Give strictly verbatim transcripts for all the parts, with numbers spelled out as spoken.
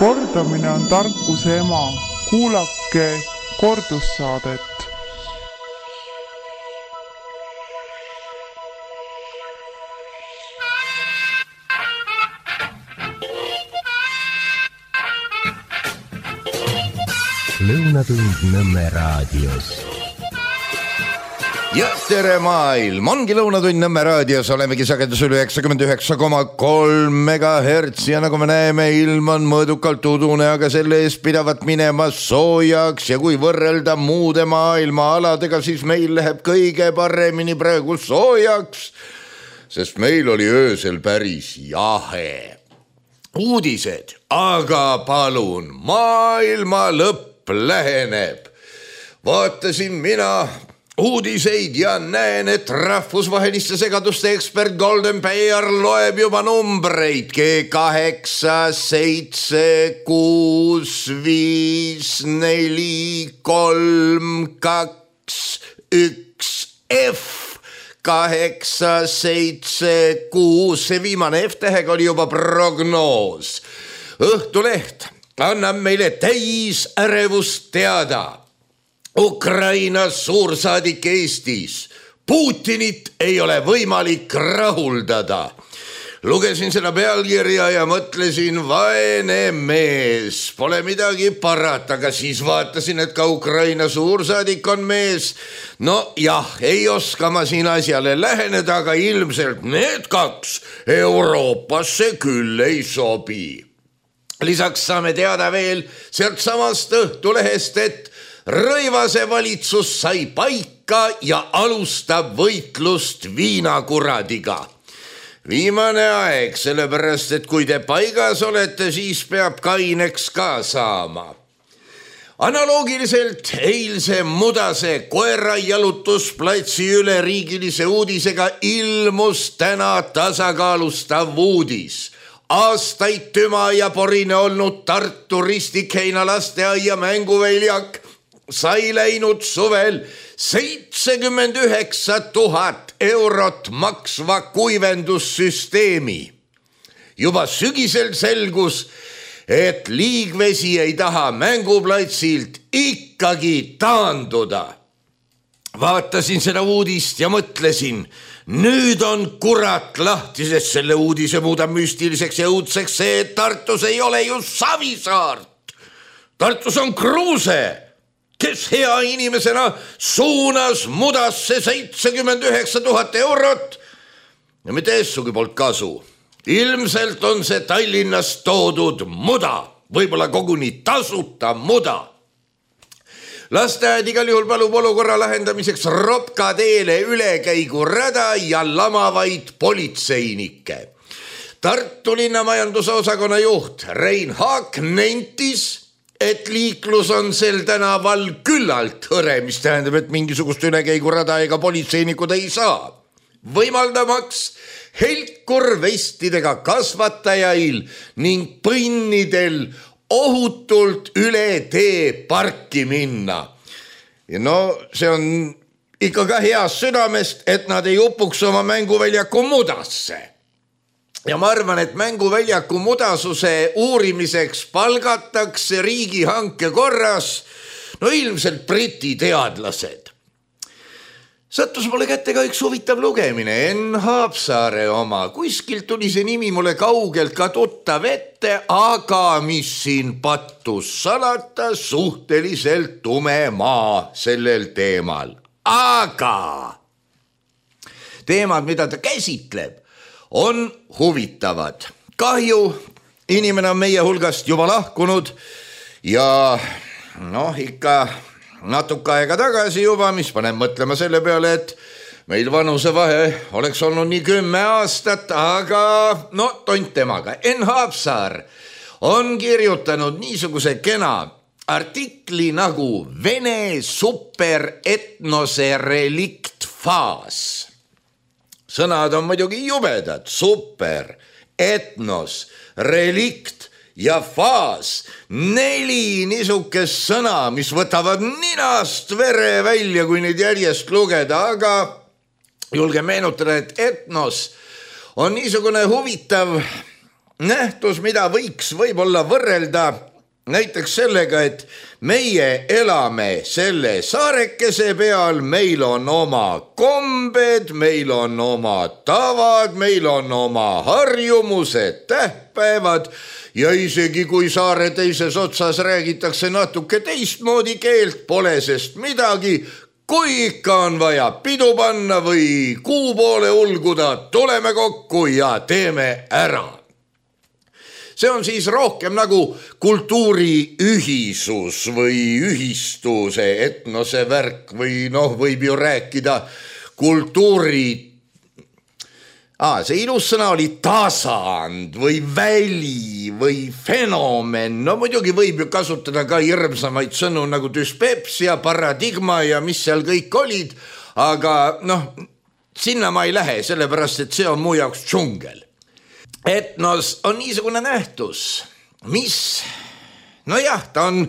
Kordamine on tarkuse ema. Kuulake kordussaadet. Lõunatund Nõmme raadios. Ja tere maailm, ongi Lõunatund Nõmme raadios, olemegi sagedusel üheksakümmend üheksa koma kolm megahertsi ja nagu me näeme, ilm on mõõdukalt udune, aga selle eest pidavat minema soojaks ja kui võrrelda muude maailma aladega, siis meil läheb kõige paremini praegu soojaks, sest meil oli öösel päris jahe. Uudised, aga palun, maailma lõpp läheneb. Vaatasin mina uudiseid ja näen, et rahvusvaheliste segaduste ekspert Golden Bear loeb juba numbreid G kaheksa, seitse, kuus, viis, neli, kolm, kaks, üks, F, kaheksa, seitse, kuus, see viimane F-tähega oli juba prognoos. Õhtuleht annab meile täis ärevust teada. Ukraina suursaadik Eestis. Putinit ei ole võimalik rahuldada. Lugesin seda pealkirja ja mõtlesin, vaene mees, pole midagi parata, aga siis vaatasin, et ka Ukraina suursaadik on mees. No jah, ei oska ma siin asjale läheneda, aga ilmselt need kaks Euroopasse küll ei sobi. Lisaks saame teada veel sealt samast Õhtulehest, et Rõivase valitsus sai paika ja alustab võitlust viinakuradiga. Viimane aeg, sellepärast, et kui te paigas olete, siis peab kaineks ka saama. Analoogiliselt eilse Mudase koera jalutusplatsi üleriigilise uudisega ilmus täna tasakaalustav uudis. Aastaid tüma ja porine olnud Tartu Ristikheina lasteaia mänguväljak sai läinud suvel seitsekümmend üheksa tuhat eurot maksva kuivendussüsteemi. Juba sügisel selgus, et liigvesi ei taha mänguplatsilt ikkagi taanduda. Vaatasin seda uudist ja mõtlesin, nüüd on kurat lahti, sest selle uudise muudab müstiliseks ja õudseks see, et Tartus ei ole ju Savisaart. Tartus on Kruuse, kes hea inimesena suunas Mudasse seitsekümmend üheksa tuhat eurot ja mitte essugi poolt kasu. Ilmselt on see Tallinnas toodud muda, võib-olla koguni tasuta muda. Lasteaed igal juhul palub olukorra lahendamiseks Ropka teele ülekäigurada ja lamavaid politseinikke. Tartu linna majanduse osakonna juht Rein Haak nentis, et liiklus on sel tänaval küllalt hõre, mis tähendab, et mingisugust ülekäigurada ega politseinikud ei saa. Võimaldamaks helkurvestidega kasvatajail ning põnnidel ohutult üle tee parki minna. Ja no see on ikka ka heast südamest, et nad ei upuks oma mänguväljaku mudasse. Ja ma arvan, et mänguväljaku mudasuse uurimiseks palgatakse riigihanke korras, no ilmselt briti teadlased. Sattus mulle kätte ka üks huvitav lugemine, Enn Haapsaare oma. Kuskilt tuli see nimi mulle kaugelt ka tuttav ette, aga mis siin pattus salata, suhteliselt tume maa sellel teemal. Aga teemad, mida ta käsitleb, on huvitavad. Kahju, inimene on meie hulgast juba lahkunud ja noh, ikka natuke aega tagasi juba, mis paneb mõtlema selle peale, et meil vanusevahe oleks olnud nii kümme aastat, aga no tont temaga. Enn Haapsaar on kirjutanud niisuguse kena artikli nagu Vene superetnose reliktfaas. Sõnad on muidugi jubedad, super, etnos, relikt ja faas, neli niisugust sõna, mis võtavad ninast vere välja, kui neid järjest lugeda, aga julge meenutada, et etnos on niisugune huvitav nähtus, mida võiks võib-olla võrrelda näiteks sellega, et meie elame selle saarekese peal, meil on oma kombed, meil on oma tavad, meil on oma harjumused, tähtpäevad ja isegi kui saare teises otsas räägitakse natuke teistmoodi keelt, pole sest midagi. Kui ikka on vaja pidu panna või kuu poole ulguda, tuleme kokku ja teeme ära. See on siis rohkem nagu kultuuri ühisus või ühistuse etnose värk või noh, võib ju rääkida kultuuri. Ah, see ilus sõna oli tasand või väli või fenomen. No muidugi võib ju kasutada ka hirmsamaid sõnu nagu dyspepsia, paradigma ja mis seal kõik olid, aga noh, sinna ma ei lähe, sellepärast et see on mu jaoks džungel. Etnos on niisugune nähtus, mis, no jah, ta on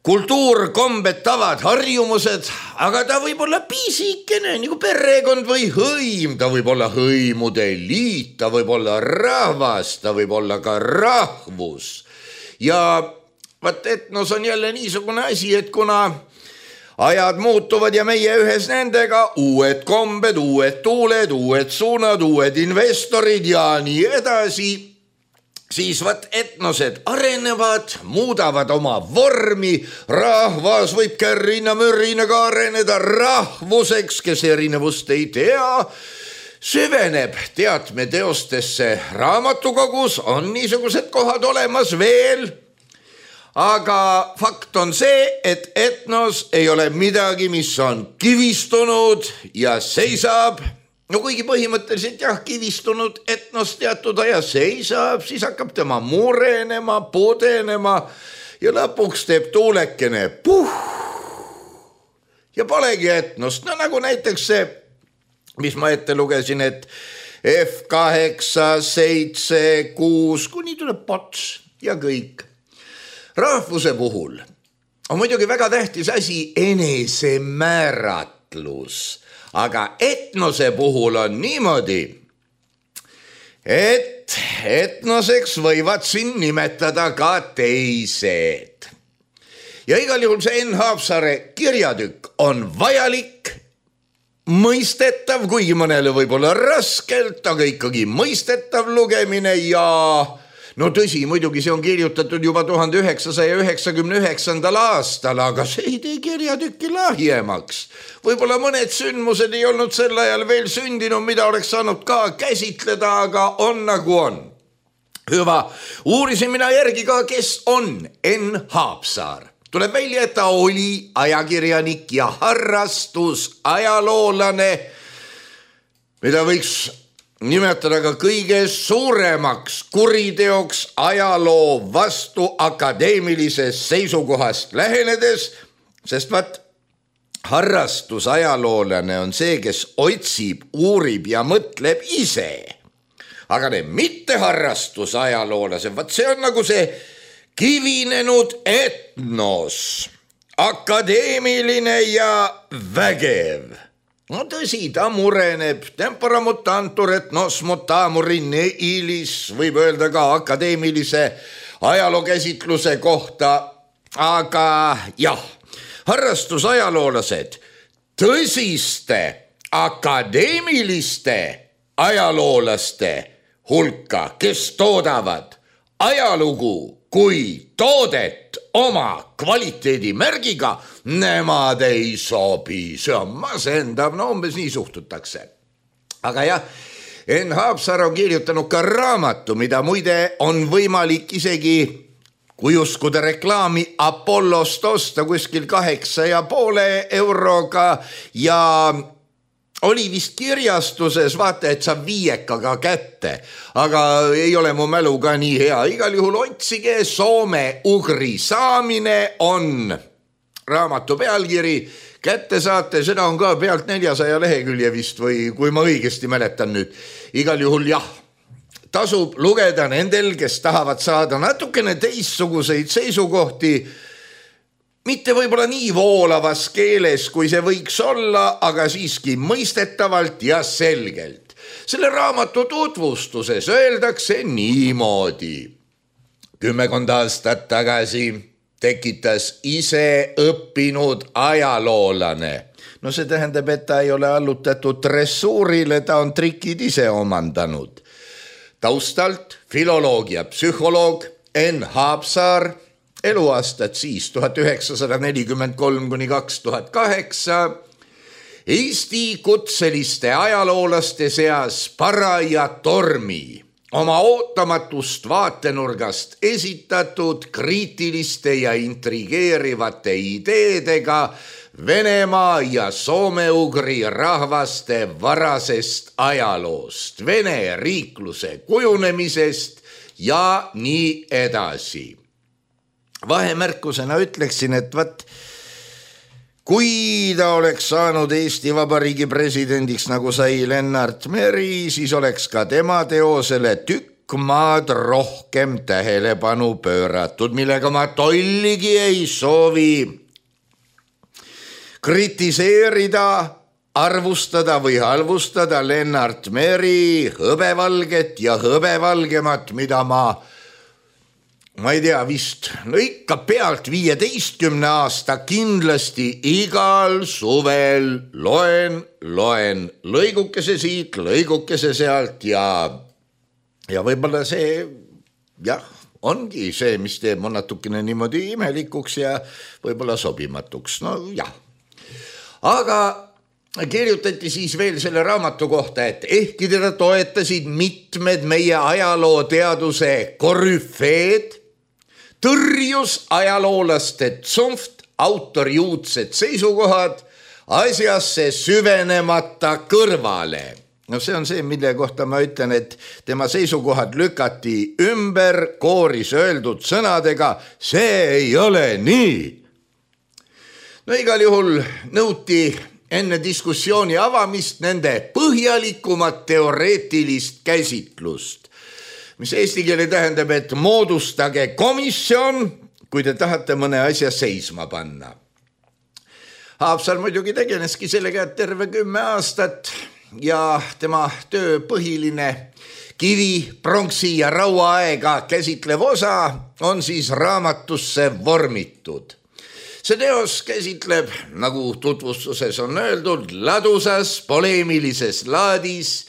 kultuur, kombed, tavad, harjumused, aga ta võib olla piisikene, nagu perekond või hõim, ta võib olla hõimude liit, ta võib olla rahvas, ta võib olla ka rahvus. Ja vaat etnos on jälle niisugune asi, et kuna ajad muutuvad ja meie ühes nendega, uued kombed, uued tuuled, uued suunad, uued investorid ja nii edasi, siis vaat etnosed arenevad, muudavad oma vormi, rahvas võib kärrina mürrina ka areneda rahvuseks, kes erinevust ei tea, süveneb teatmeteostesse raamatukogus, on niisugused kohad olemas veel. Aga fakt on see, et etnos ei ole midagi, mis on kivistunud ja seisab. No kuigi põhimõtteliselt jah, kivistunud etnos teatud aja seisab, siis hakkab tema murenema, pudenema ja lõpuks teeb tuulekene puh. Ja polegi etnost, no nagu näiteks see, mis ma ette lugesin, et F kaheksa, seitse, kuus, kuni tuleb pots ja kõik. Rahvuse puhul on muidugi väga tähtis asi enesemääratlus, aga etnose puhul on niimoodi, et etnoseks võivad siin nimetada ka teised. Ja igal juhul see Enn Haapsaare kirjatükk on vajalik, mõistetav, kuigi mõnele võib olla raskelt, aga ikkagi mõistetav lugemine ja no tõsi, muidugi see on kirjutatud juba tuhande üheksasaja üheksakümne üheksandal aastal, aga see ei tee kirjatükki lahjemaks. Võib-olla mõned sündmused ei olnud sel ajal veel sündinud, mida oleks saanud ka käsitleda, aga on nagu on. Hüva, uurisin mina järgi ka, kes on Enn Haapsaar. Tuleb välja, et ta oli ajakirjanik ja harrastus ajaloolane, mida võiks nimetada ka kõige suuremaks kuriteoks ajaloo vastu akadeemilisest seisukohast lähenedes, sest vaat harrastus ajaloolane on see, kes otsib, uurib ja mõtleb ise. Aga need mitte harrastus ajaloolased, vaat see on nagu see kivinenud etnos, akadeemiline ja vägev. No tõsi, ta mureneb, tempora mutantur et nos mutamurin eilis, võib öelda ka akadeemilise ajalookäsitluse kohta, aga jah, harrastusajaloolased tõsiste akadeemiliste ajaloolaste hulka, kes toodavad ajalugu kui toodet oma kvaliteedimärgiga, nemad ei sobi, see on masendav, no umbes nii suhtutakse. Aga jah, Enn Haapsaar on kirjutanud ka raamatu, mida muide on võimalik isegi, kui uskuda reklaami, Apollost osta kuskil kaheksa ja poole euroga ja oli vist kirjastuses, vaata, et saab viiekaga kätte, aga ei ole mu mälu ka nii hea. Igal juhul otsige, soome-ugri saamine on raamatu pealkiri, kätte saate, seda on ka pealt neljasaja lehekülje vist või kui ma õigesti mäletan nüüd. Igal juhul jah, tasub lugeda nendel, kes tahavad saada natukene teistsuguseid seisukohti, mitte võib-olla nii voolavas keeles, kui see võiks olla, aga siiski mõistetavalt ja selgelt. Selle raamatu tutvustuses öeldakse niimoodi. Kümmekond aastat tagasi tekitas ise õppinud ajaloolane. No see tähendab, et ta ei ole allutatud dressuurile, ta on trikid ise omandanud. Taustalt filoloogia psühholoog Enn Haapsaar, eluaastad siis tuhat üheksasada nelikümmend kolm kuni kaks tuhat kaheksa, Eesti kutseliste ajaloolaste seas paraja tormi, oma ootamatust vaatenurgast esitatud kriitiliste ja intrigeerivate ideedega Venemaa ja soome-ugri rahvaste varasest ajaloost, Vene riikluse kujunemisest ja nii edasi. Vahemärkusena ütleksin, et vat, kui ta oleks saanud Eesti Vabariigi presidendiks, nagu sai Lennart Meri, siis oleks ka tema teosele tükk maad rohkem tähelepanu pööratud, millega ma tolligi ei soovi kritiseerida, arvustada või halvustada Lennart Meri hõbevalget ja hõbevalgemat, mida ma ma ei tea, vist no ikka pealt viieteistkümne aasta kindlasti igal suvel loen, loen lõigukese siit, lõigukese sealt ja, ja võib-olla see, jah, ongi see, mis teeb mu natukene niimoodi imelikuks ja võib-olla sobimatuks, no jah. Aga kirjutati siis veel selle raamatu kohta, et ehkki teda toetasid mitmed meie ajalooteaduse korüfeed, tõrjus ajaloolaste tsumft autoriuudsed seisukohad asjasse süvenemata kõrvale. No see on see, mille kohta ma ütlen, et tema seisukohad lükati ümber kooris öeldud sõnadega, see ei ole nii. No igal juhul nõuti enne diskussiooni avamist nende põhjalikumat teoreetilist käsitlust, mis eesti keele tähendab, et moodustage komisjon, kui te tahate mõne asja seisma panna. Haapsaar muidugi tegeleski sellega terve kümme aastat ja tema töö põhiline kivi, pronksi ja rauaaega käsitlev osa on siis raamatusse vormitud. See teos käsitleb, nagu tutvustuses on öeldud, ladusas poleemilises laadis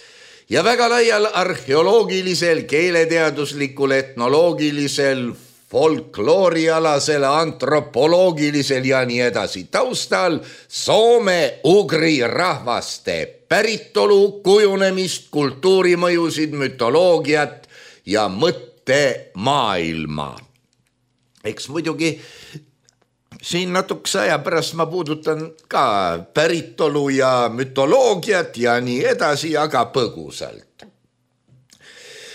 ja väga laial arheoloogilisel, keeleteaduslikul, etnoloogilisel, folkloorialasel, antropoloogilisel ja nii edasi taustal soome-ugri rahvaste päritolu, kujunemist, kultuurimõjusid, mütoloogiat ja mõttemaailma. Eks muidugi siin natukese aja pärast ma puudutan ka päritolu ja mütoloogiat ja nii edasi, aga põgusalt.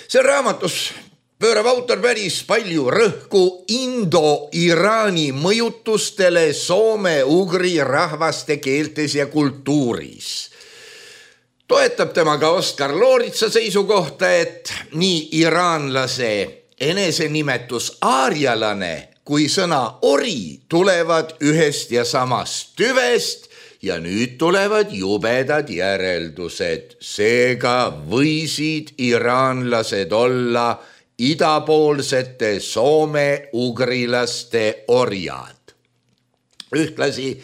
See raamatus pöörab autor päris palju rõhku Indo-Iraani mõjutustele soome-ugri rahvaste keeltes ja kultuuris. Toetab tema ka Oskar Looritsa seisukohta, et nii iraanlase enesenimetus aarjalane kui sõna ori tulevad ühest ja samast tüvest ja nüüd tulevad jubedad järeldused. Seega võisid iraanlased olla idapoolsete soome-ugrilaste orjad. Ühtlasi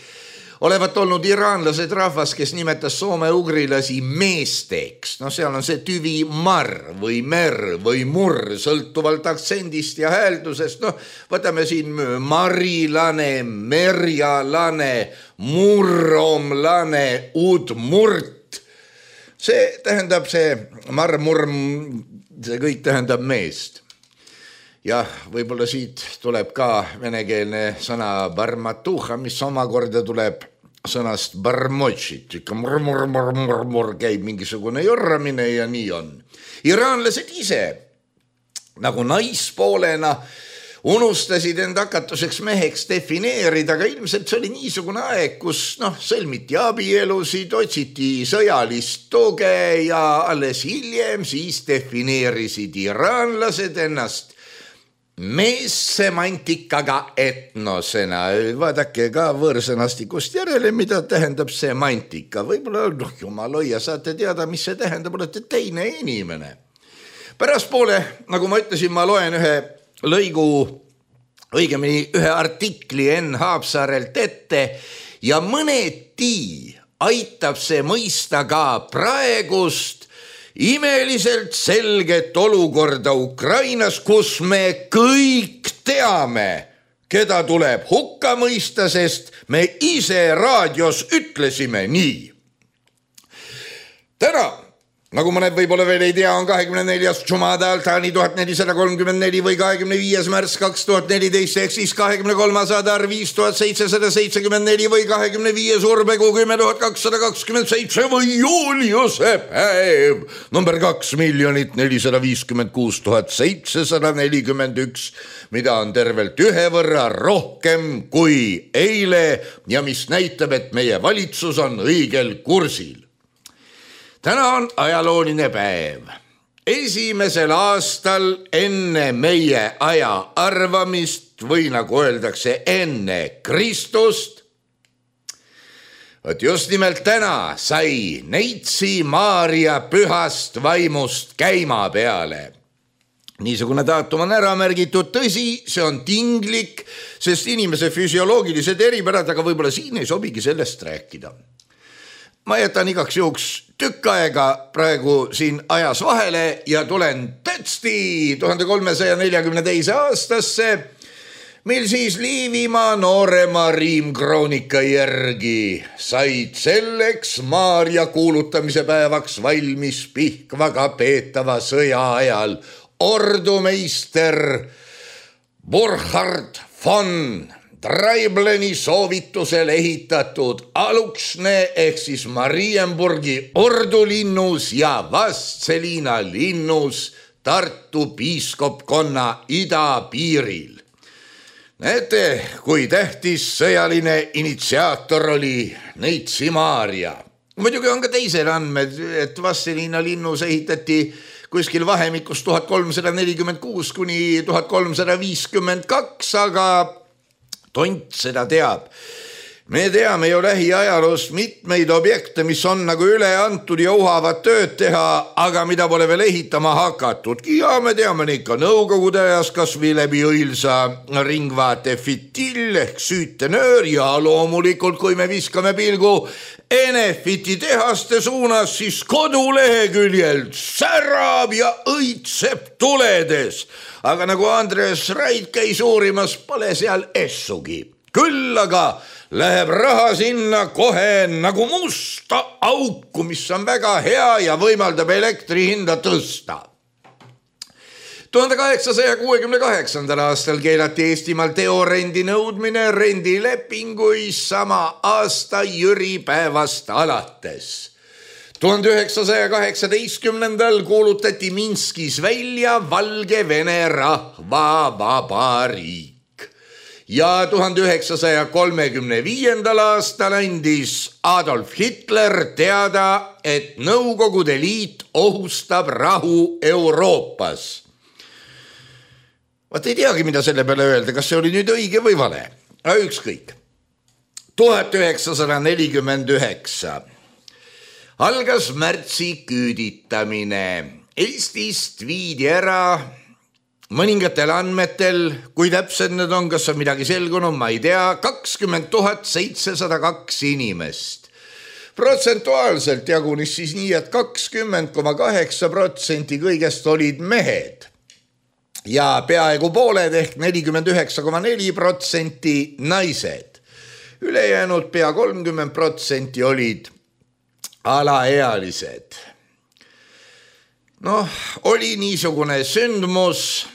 olevat olnud iraanlased rahvas, kes nimetas soome-ugrilasi meesteks. No seal on see tüvi mar või mer või murr, sõltuvalt aktsendist ja hääldusest. No võtame siin marilane, merjalane, murromlane, udmurt. See tähendab see marmurm, see kõik tähendab meest. Jah, võib-olla siit tuleb ka venekeelne sõna barmatuha, mis omakorda tuleb sõnast barmotšit. Ikka mur, mur, mur, mur, mur käib mingisugune jorramine ja nii on. Iraanlased ise, nagu naispoolena, unustasid end hakatuseks meheks defineerida, aga ilmselt see oli niisugune aeg, kus noh, sõlmiti abielusid, otsiti sõjalist tuge ja alles hiljem siis defineerisid iraanlased ennast meessemantikaga etnosena. Vaadake ka võõrsõnastikust järele, mida tähendab semantika. Võib-olla, noh, jumal hoia, saate teada, mis see tähendab, olete teine inimene. Pärastpoole, nagu ma ütlesin, ma loen ühe lõigu, õigemini ühe artikli Enn Haapsaarelt ette ja mõneti aitab see mõista ka praegust imeliselt selget olukorda Ukrainas, kus me kõik teame, keda tuleb hukka mõista, sest me ise raadios ütlesime nii. Täna, nagu mõned võib-olla veel ei tea, on kahekümne neljas Jumada Altani tuhat nelisada kolmkümmend neli või kahekümne viies märts kaks tuhat neliteist, ehk siis kahekümne kolmas Adar viis tuhat seitsesada seitsekümmend neli või kahekümne viies Urbekuu kümme tuhat kakssada kakskümmend seitse või Juliuse päev number kaks miljonit nelisada viiskümmend kuus tuhat seitsesada nelikümmend üks, mida on tervelt ühe võrra rohkem kui eile ja mis näitab, et meie valitsus on õigel kursil. Täna on ajalooline päev. Esimesel aastal enne meie aja arvamist või nagu öeldakse enne Kristust, et just nimelt täna sai Neitsi Maarja pühast vaimust käima peale. Niisugune daatum on ära märgitud, tõsi, see on tinglik, sest inimese füsioloogilised eripärad, aga võib-olla siin ei sobigi sellest rääkida. Ma jätan igaks juhuks tükk aega praegu siin ajas vahele ja tulen tätsti tuhande kolmesaja neljakümne teise aastasse, mil siis Liivimaa noorema riimkroonika järgi said selleks Maarja kuulutamise päevaks valmis Pihkvaga peetava sõja ajal ordumeister Burkhard von Traibleni soovitusel ehitatud Aluksne ehk siis Marienburgi ordulinnus ja Vastseliina linnus Tartu piiskopkonna idapiiril. Näete, kui tähtis sõjaline initsiaator oli Neitsi Maarja. Muidugi on ka teised andmed, et Vastseliina linnus ehitati kuskil vahemikus tuhat kolmsada nelikümmend kuus kuni tuhat kolmsada viiskümmend kaks, aga tont seda teab. Me teame ju lähiajaloost mitmeid objekte, mis on nagu üle antud ja uhavad tööd teha, aga mida pole veel ehitama hakatudki. Ja me teame neid ka nõukogude ajas, kas või läbi õilsa ringvaate fitill ehk süütenöör ja loomulikult, kui me viskame pilgu Enefiti tehaste suunas, siis koduleheküljelt särab ja õitseb tuledes. Aga nagu Andres Raid käis uurimas, pole seal essugi. Küll aga läheb raha sinna kohe nagu musta auku, mis on väga hea ja võimaldab elektri hinda tõsta. tuhande kaheksasaja kuuekümne kaheksandal aastal keelati Eestimaal teorendi nõudmine rendilepingui sama aasta Jüri päevast alates. tuhande üheksasaja kaheksateistkümnendal kuulutati Minskis välja Valgevene rahvavabariik. Ja tuhande üheksasaja kolmekümne viiendal aastal andis Adolf Hitler teada, et Nõukogude Liit ohustab rahu Euroopas. Vaat ei teagi, mida selle peale öelda, kas see oli nüüd õige või vale. Ükskõik. tuhat üheksasada nelikümmend üheksa algas märtsi küüditamine. Eestist viidi ära mõningatel andmetel, kui täpsed need on, kas on midagi selgunud, ma ei tea, kakskümmend tuhat seitsesada kaks inimest. Protsentuaalselt jagunis siis nii, et kakskümmend koma kaheksa protsenti kõigest olid mehed ja peaaegu pooled ehk nelikümmend üheksa koma neli protsenti naised. Ülejäänud pea kolmkümmend protsenti olid alaealised. Noh, oli niisugune sündmus.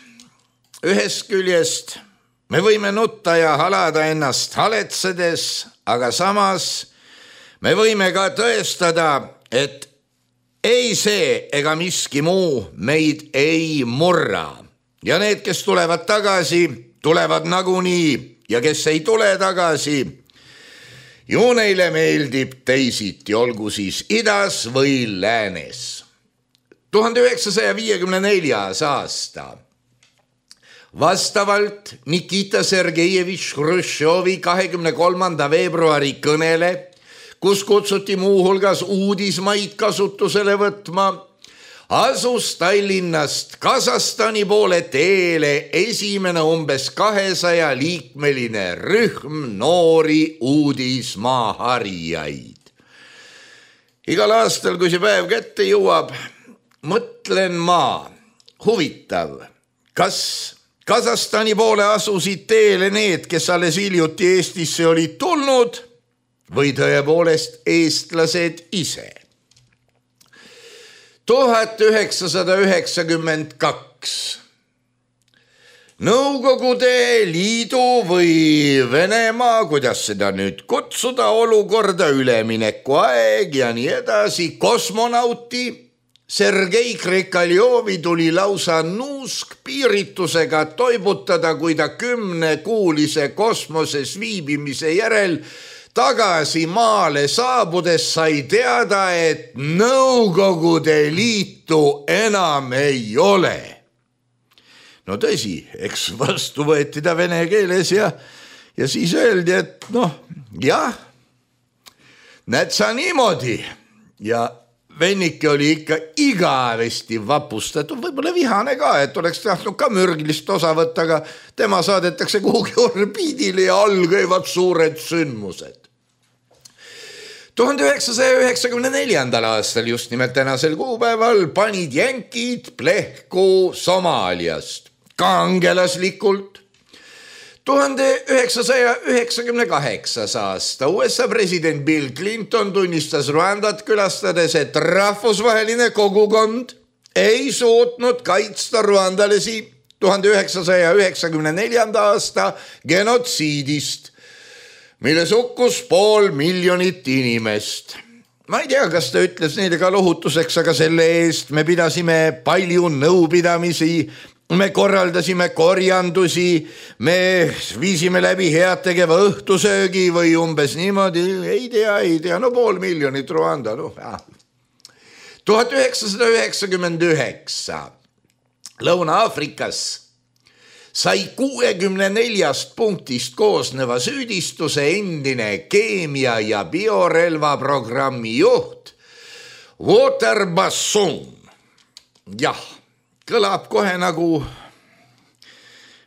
Ühest küljest me võime nutta ja halada ennast haletsedes, aga samas me võime ka tõestada, et ei see ega miski muu meid ei murra. Ja need, kes tulevad tagasi, tulevad nagunii ja kes ei tule tagasi, ju neile meeldib teisiti, olgu siis idas või läänes. tuhande üheksasaja viiekümne neljas aasta Vastavalt Nikita Sergejevitš Hruštšovi kahekümne kolmanda veebruari kõnele, kus kutsuti muuhulgas uudismaid kasutusele võtma, asus Tallinnast Kasahstani poole teele esimene umbes kahesaja liikmeline rühm noori uudismaa harijaid. Igal aastal, kui see päev kätte jõuab, mõtlen ma, huvitav, kas Kasahstani poole asusid teele need, kes alles hiljuti Eestisse olid tulnud või tõepoolest eestlased ise. tuhat üheksasada üheksakümmend kaks Nõukogude Liidu või Venemaa, kuidas seda nüüd kutsuda, olukorda ülemineku aeg ja nii edasi, kosmonauti Sergei Krikaljovi tuli lausa nuusk piiritusega toibutada, kui ta kümnekuulise kosmoses viibimise järel tagasi maale saabudes sai teada, et Nõukogude Liitu enam ei ole. No tõsi, eks vastu võeti ta vene keeles ja, ja siis öeldi, et noh, jah, näed sa niimoodi ja vennike oli ikka igavesti vapustatud, võib-olla vihane ka, et oleks tahtnud ka mürgilist osa võtta, aga tema saadetakse kuhugi orbiidile ja all käivad suured sündmused. tuhande üheksasaja üheksakümne neljandal aastal, just nimelt tänasel kuupäeval, panid jänkid plehku Somaaliast kangelaslikult. tuhande üheksasaja üheksakümne kaheksas aasta U S A president Bill Clinton tunnistas Rwandat külastades, et rahvusvaheline kogukond ei suutnud kaitsta rwandalasi tuhande üheksasaja üheksakümne neljanda aasta genotsiidist, milles hukkus pool miljonit inimest. Ma ei tea, kas ta ütles neile ka lohutuseks, aga selle eest me pidasime palju nõupidamisi, me korraldasime korjandusi, me viisime läbi heategeva õhtusöögi või umbes niimoodi, ei tea, ei tea, no pool miljonit Rwanda. No, tuhat üheksasada üheksakümmend üheksa Lõuna-Aafrikas sai kuuekümne neljast punktist koosneva süüdistuse endine keemia- ja biorelva programmi juht Walter Bassoon. Jah, kõlab kohe nagu,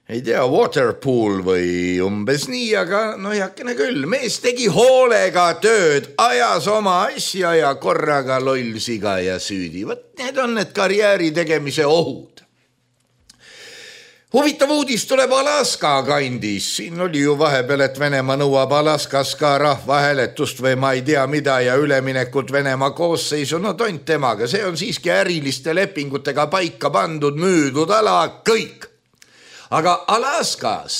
ei tea, waterpool või umbes nii, aga no jakene küll. Mees tegi hoolega tööd, ajas oma asja ja korraga lollsiga ja süüdi. Võt, need on need karjääri tegemise ohud. Huvitav uudis tuleb Alaska kandis. Siin oli ju vahepeal, et Venemaa nõuab Alaskas ka rahvahääletust või ma ei tea mida ja üleminekut Venemaa koosseisu. No tont temaga, see on siiski äriliste lepingutega paika pandud, müüdud ala, kõik. Aga Alaskas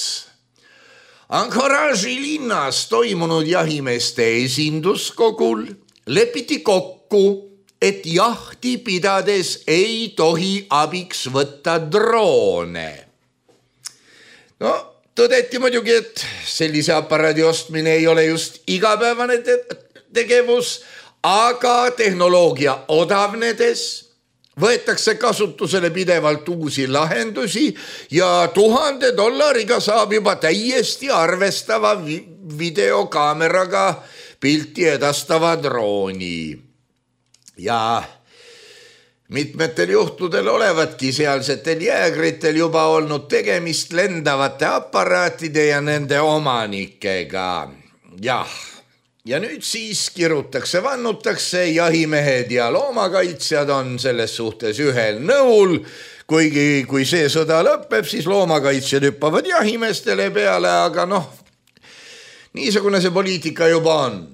Anchorage'i linnas toimunud jahimeeste esinduskogul lepiti kokku, et jahti pidades ei tohi abiks võtta droone. No, tõdeti muidugi, et sellise aparaadi ostmine ei ole just igapäevane te tegevus, aga tehnoloogia odavnedes võetakse kasutusele pidevalt uusi lahendusi ja tuhande dollariga saab juba täiesti arvestava vi videokaameraga pilti edastava drooni. Ja mitmetel juhtudel olevatki sealsetel jäägritel juba olnud tegemist lendavate aparaatide ja nende omanikega. Jah, ja nüüd siis kirutakse, vannutakse, jahimehed ja loomakaitsjad on selles suhtes ühel nõul, kuigi kui see sõda lõpeb, siis loomakaitsjad hüppavad jahimeestele peale, aga noh, niisugune see poliitika juba on.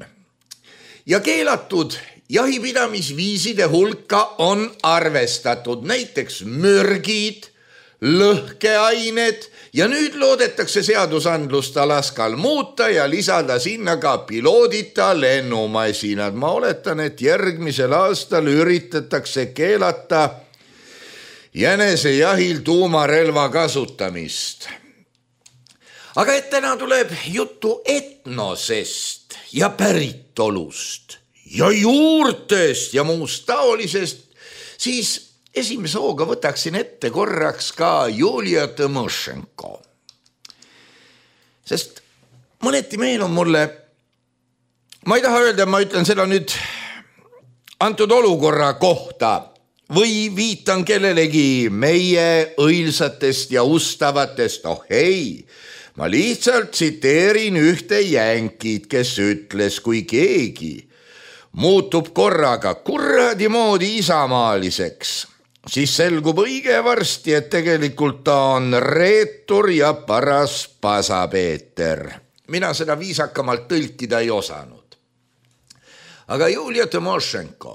Ja keelatud jahipidamisviiside hulka on arvestatud näiteks mürgid, lõhkeained ja nüüd loodetakse seadusandlust Alaskal muuta ja lisada sinna ka piloodita lennumasinad. Ma oletan, et järgmisel aastal üritatakse keelata jänesejahil tuumarelva kasutamist. Aga et täna tuleb juttu etnosest ja päritolust ja juurtest ja muust taolisest, siis esimese hooga võtaksin ette korraks ka Julia Tõmošenko. Sest mõneti meenub mulle, ma ei taha öelda, ma ütlen seda nüüd antud olukorra kohta või viitan kellelegi meie õilsatest ja ustavatest, oh ei, ma lihtsalt tsiteerin ühte jänkid, kes ütles, kui keegi muutub korraga kuradi moodi isamaaliseks, siis selgub õige varsti, et tegelikult ta on reetur ja paras pasapeeter. Mina seda viisakamalt tõlkida ei osanud. Aga Julia Tõmošenko,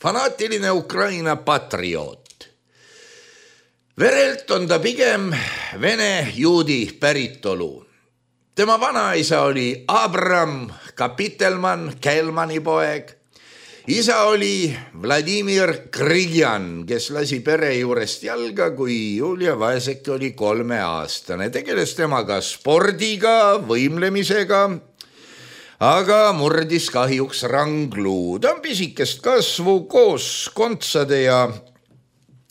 fanaatiline Ukraina patrioot. Verelt on ta pigem vene juudi päritolu. Tema vanaisa oli Abram Kapitelman, Kelmani poeg. Isa oli Vladimir Krigjan, kes lasi pere juurest jalga, kui Julia Vaesek oli kolmeaastane. Tegeles temaga spordiga, võimlemisega, aga murdis kahjuks rangluu. Ta on pisikest kasvu koos kontsade ja,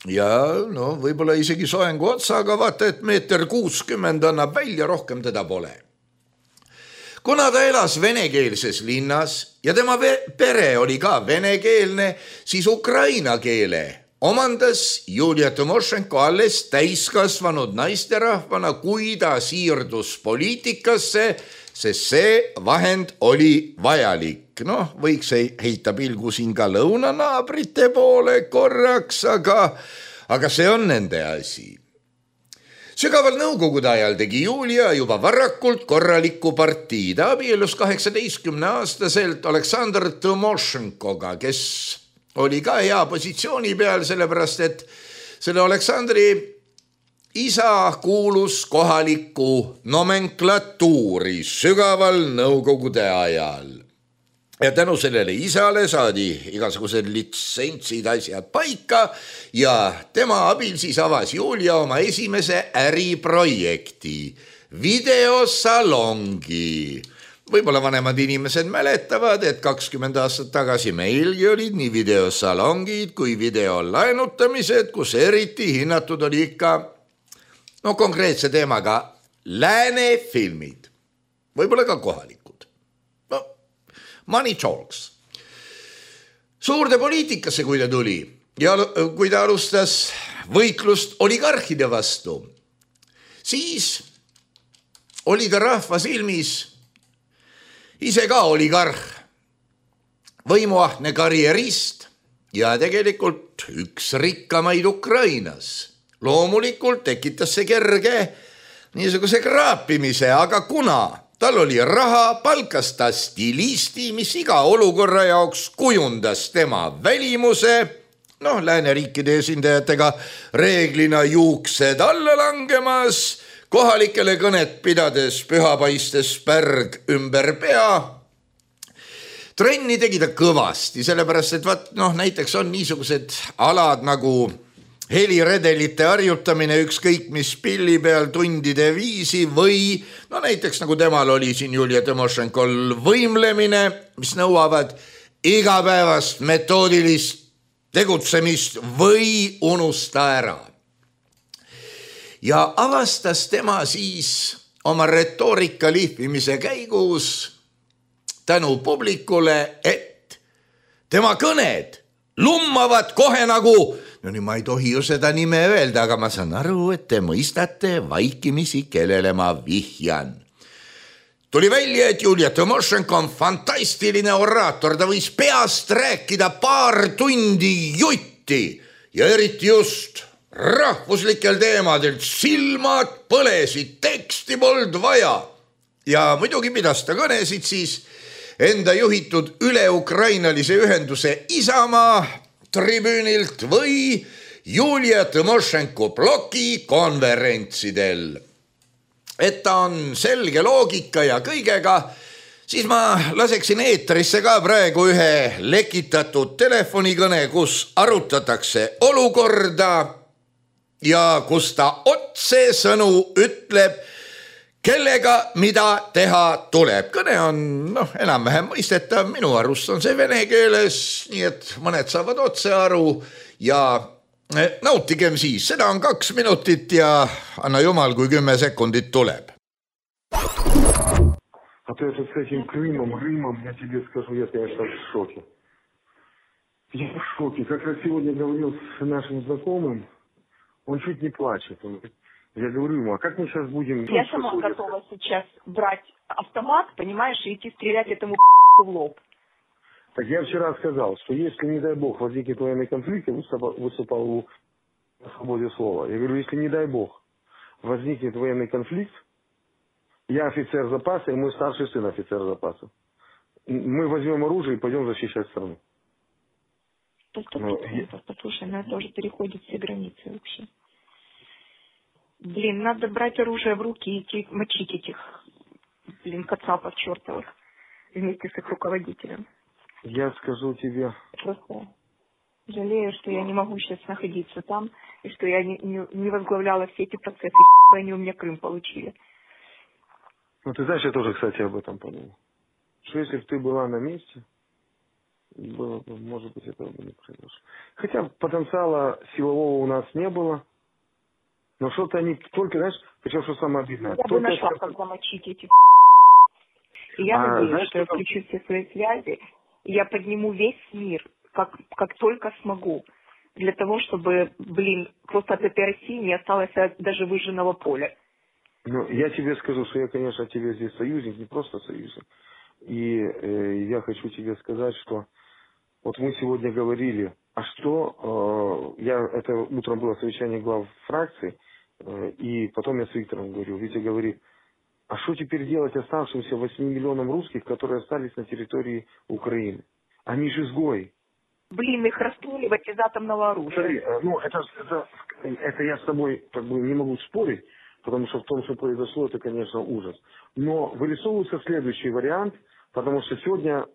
ja no, võib-olla isegi soengu otsaga, vaata, et meeter kuuskümmend annab välja, rohkem teda pole. Kuna ta elas venekeelses linnas ja tema pere oli ka venekeelne, siis ukraina keele omandas Julia Tõmošenko alles täiskasvanud naisterahvana, kui ta siirdus poliitikasse, sest see vahend oli vajalik. Noh, võiks heita pilgu siin ka lõunanaabrite poole korraks, aga, aga see on nende asi. Sügaval nõukogude ajal tegi Julia juba varakult korraliku partii. Ta abielus kaheksateistkümne aastaselt Aleksandr Tõmošenkoga, kes oli ka hea positsiooni peal, sellepärast et selle Aleksandri isa kuulus kohalikku nomenklatuuri sügaval nõukogude ajal. Ja tänu sellele isale saadi igasugused litsentsid asjad paika ja tema abil siis avas Julia oma esimese äriprojekti, videosalongi. Võib-olla vanemad inimesed mäletavad, et kakskümmend aastat tagasi meilgi olid nii videosalongid kui videolaenutamised, kus eriti hinnatud oli ikka no, konkreetse teemaga lääne filmid, võib-olla ka kohalikud. Money talks. Suurde poliitikasse, kui ta tuli ja kui ta alustas võitlust oligarhide vastu, siis oli ta rahva silmis ise ka oligarh, võimuahne karjerist ja tegelikult üks rikkamaid Ukrainas. Loomulikult tekitas see kerge niisuguse kraapimise, aga kuna tal oli raha, palkas ta stilisti, mis iga olukorra jaoks kujundas tema välimuse, noh, lääneriikide esindajatega reeglina juuksed alla langemas, kohalikele kõnet pidades pühapaistes pärg ümber pea. Trenni tegi ta kõvasti, sellepärast, et vaat, noh, näiteks on niisugused alad nagu heliredelite harjutamine ükskõik mis pilli peal tundide viisi või no näiteks nagu temal oli siin Julia Tõmošenkol võimlemine, mis nõuavad igapäevast metoodilist tegutsemist või unusta ära. Ja avastas tema siis oma retoorika lihvimise käigus tänu publikule, et tema kõned lummavad kohe nagu no nii ma ei tohi ju seda nime öelda, aga ma saan aru, et te mõistate vaikimisi, kellele ma vihjan. Tuli välja, et Julia Tõmošenko on fantastiline oraator, ta võis peast rääkida paar tundi jutti ja eriti just rahvuslikel teemadel. Silmad põlesid, teksti polnud vaja ja muidugi pidas ta kõnesid siis enda juhitud üle-ukrainalise ühenduse Isamaa tribüünilt või Julia Tõmošenko bloki konverentsidel. Et ta on selge loogika ja kõigega, siis ma laseksin eetrisse ka praegu ühe lekitatud telefonikõne, kus arutatakse olukorda ja kus ta otsesõnu ütleb, kellega mida teha tuleb. Kõne on noh, enam-vähem mõistetav, minu arust on see vene keeles, nii et mõned saavad otse aru ja nautigem siis, seda on kaks minutit ja anna jumal, kui kümme sekundit tuleb. А то это с этим Крымом, Рымом, я тебе скажу, я, конечно, в шоке. Я в шоке. Как раз сегодня говорил с нашим знакомым, он чуть не плачет. Он, я говорю ему, а как мы сейчас будем... Я сама что готова сейчас брать автомат, понимаешь, и идти стрелять этому в лоб. Так я вчера сказал, что если, не дай бог, возникнет военный конфликт, я выступал, выступал у свободе слова. Я говорю, если, не дай бог, возникнет военный конфликт, я офицер запаса, и мой старший сын офицер запаса. Мы возьмем оружие и пойдем защищать страну. Ну, я... Послушай, ну это уже переходит все границы вообще. Блин, надо брать оружие в руки и идти мочить этих, блин, кацапов чертовых вместе с их руководителем. Я скажу тебе... Просто жалею, что я не могу сейчас находиться там, и что я не, не, не возглавляла все эти процессы, и они у меня Крым получили. Ну, ты знаешь, я тоже, кстати, об этом подумал. Что если бы ты была на месте, было бы, может быть, этого бы не произошло. Хотя потенциала силового у нас не было, но что-то они только, знаешь, причем, что самое обидное. Я бы нашла, как замочить этих. И я а, надеюсь, знаешь, что я включу все свои связи, и я подниму весь мир, как, как только смогу, для того, чтобы, блин, просто от этой России не осталось даже выжженного поля. Ну, я тебе скажу, что я, конечно, тебе здесь союзник, не просто союзник. И э, я хочу тебе сказать, что вот мы сегодня говорили, а что, э, я, это утром было совещание глав фракций, э, и потом я с Виктором говорил, Витя говорит, а что теперь делать оставшимся восьми миллионам русских, которые остались на территории Украины? Они же изгои. Блин, их расстреливать из атомного оружия. Смотри, э, ну, это, это, это я с тобой как бы не могу спорить, потому что в том, что произошло, это, конечно, ужас. Но вырисовывается следующий вариант, потому что сегодня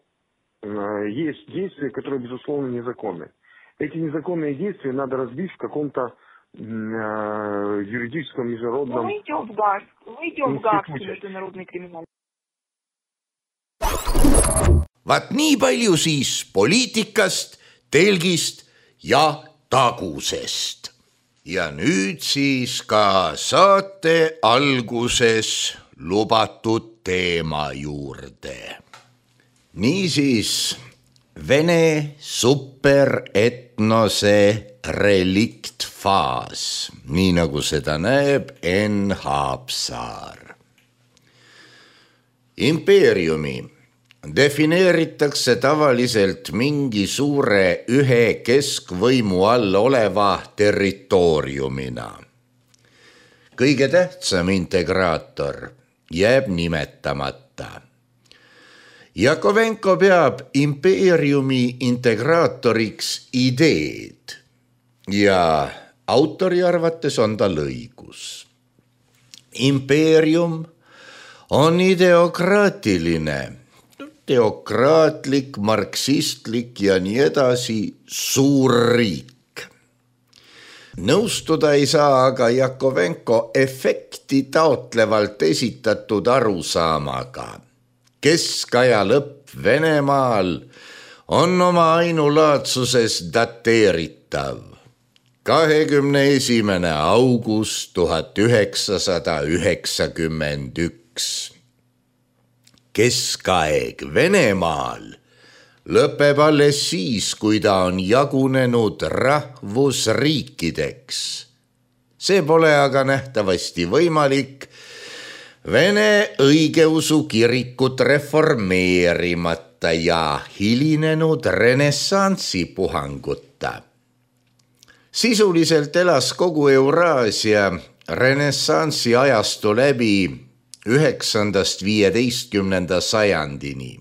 э, есть действия, которые, безусловно, незаконны. Эти незаконные действия надо разбить в каком-то э, юридическом, международном... Ну, мы идем в ГАГ, мы идем в Гаагский международный криминал. Vaat nii palju siis poliitikast, telgist ja tagusest. Ja nüüd siis ka saate alguses lubatud teema juurde. Niisiis, Vene superetnose reliktfaas, nii nagu seda näeb Enn Haapsaar. Impeeriumi defineeritakse tavaliselt mingi suure ühe keskvõimu all oleva territooriumina. Kõige tähtsam integraator jääb nimetamata. Jakovenko peab impeeriumi integraatoriks ideed ja autori arvates on tal õigus. Impeerium on ideokraatiline, teokraatlik, marksistlik ja nii edasi suur riik. Nõustuda ei saa aga Jakovenko efekti taotlevalt esitatud arusaamaga. Keskaja lõpp Venemaal on oma ainulaadsuses dateeritav. kahekümne esimene august tuhat üheksasada üheksakümmend üks. Keskaeg Venemaal lõpeb alles siis, kui ta on jagunenud rahvusriikideks. See pole aga nähtavasti võimalik Vene õigeusu kirikut reformeerimata ja hilinenud renessansi puhanguta. Sisuliselt elas kogu Euraasia renessansi ajastu läbi üheksandast viieteistkümnenda sajandini.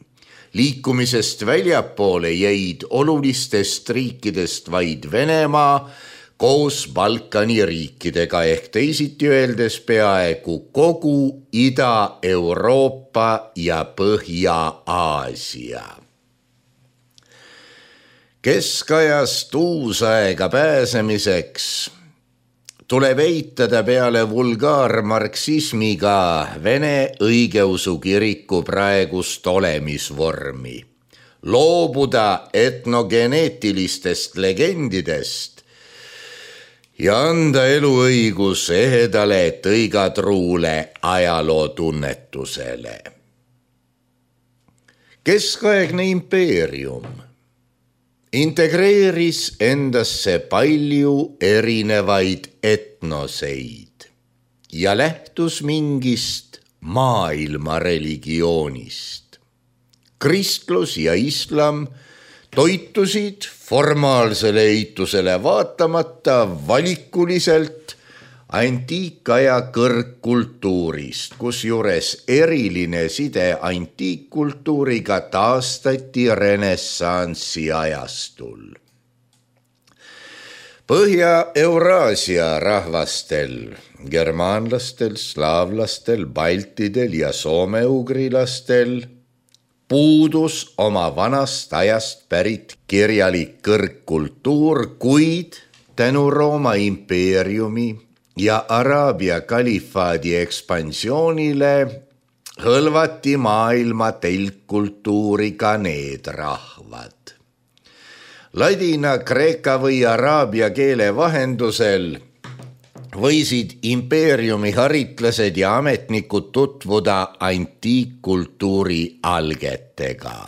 Liikumisest väljapoole jäid olulistest riikidest vaid Venemaa koos Balkani riikidega ehk teisiti öeldes peaaegu kogu Ida-Euroopa ja Põhja-Aasia. Keskajast uusaega pääsemiseks tuleb eitada peale vulgaarmarksismiga Vene õigeusu kiriku praegust olemisvormi, loobuda etnogeneetilistest legendidest ja anda eluõigus ehedale tõigatruule ajalootunnetusele. Keskaegne impeerium integreeris endasse palju erinevaid etnoseid ja lähtus mingist maailma religioonist. Kristlus ja islam toitusid formaalsele eitusele vaatamata valikuliselt antiikaja kõrgkultuurist, kus juures eriline side antiikkultuuriga taastati renessansi ajastul. Põhja-Euraasia rahvastel, germaanlastel, slaavlastel, baltidel ja soomeugrilastel puudus oma vanast ajast pärit kirjalik kõrgkultuur, kuid tänu Rooma impeeriumi ja Araabia kalifaadi ekspansioonile hõlvati maailma telkkultuuri ka need rahvad. Ladina, kreeka või araabia keele vahendusel võisid impeeriumi haritlased ja ametnikud tutvuda antiikkultuuri algetega.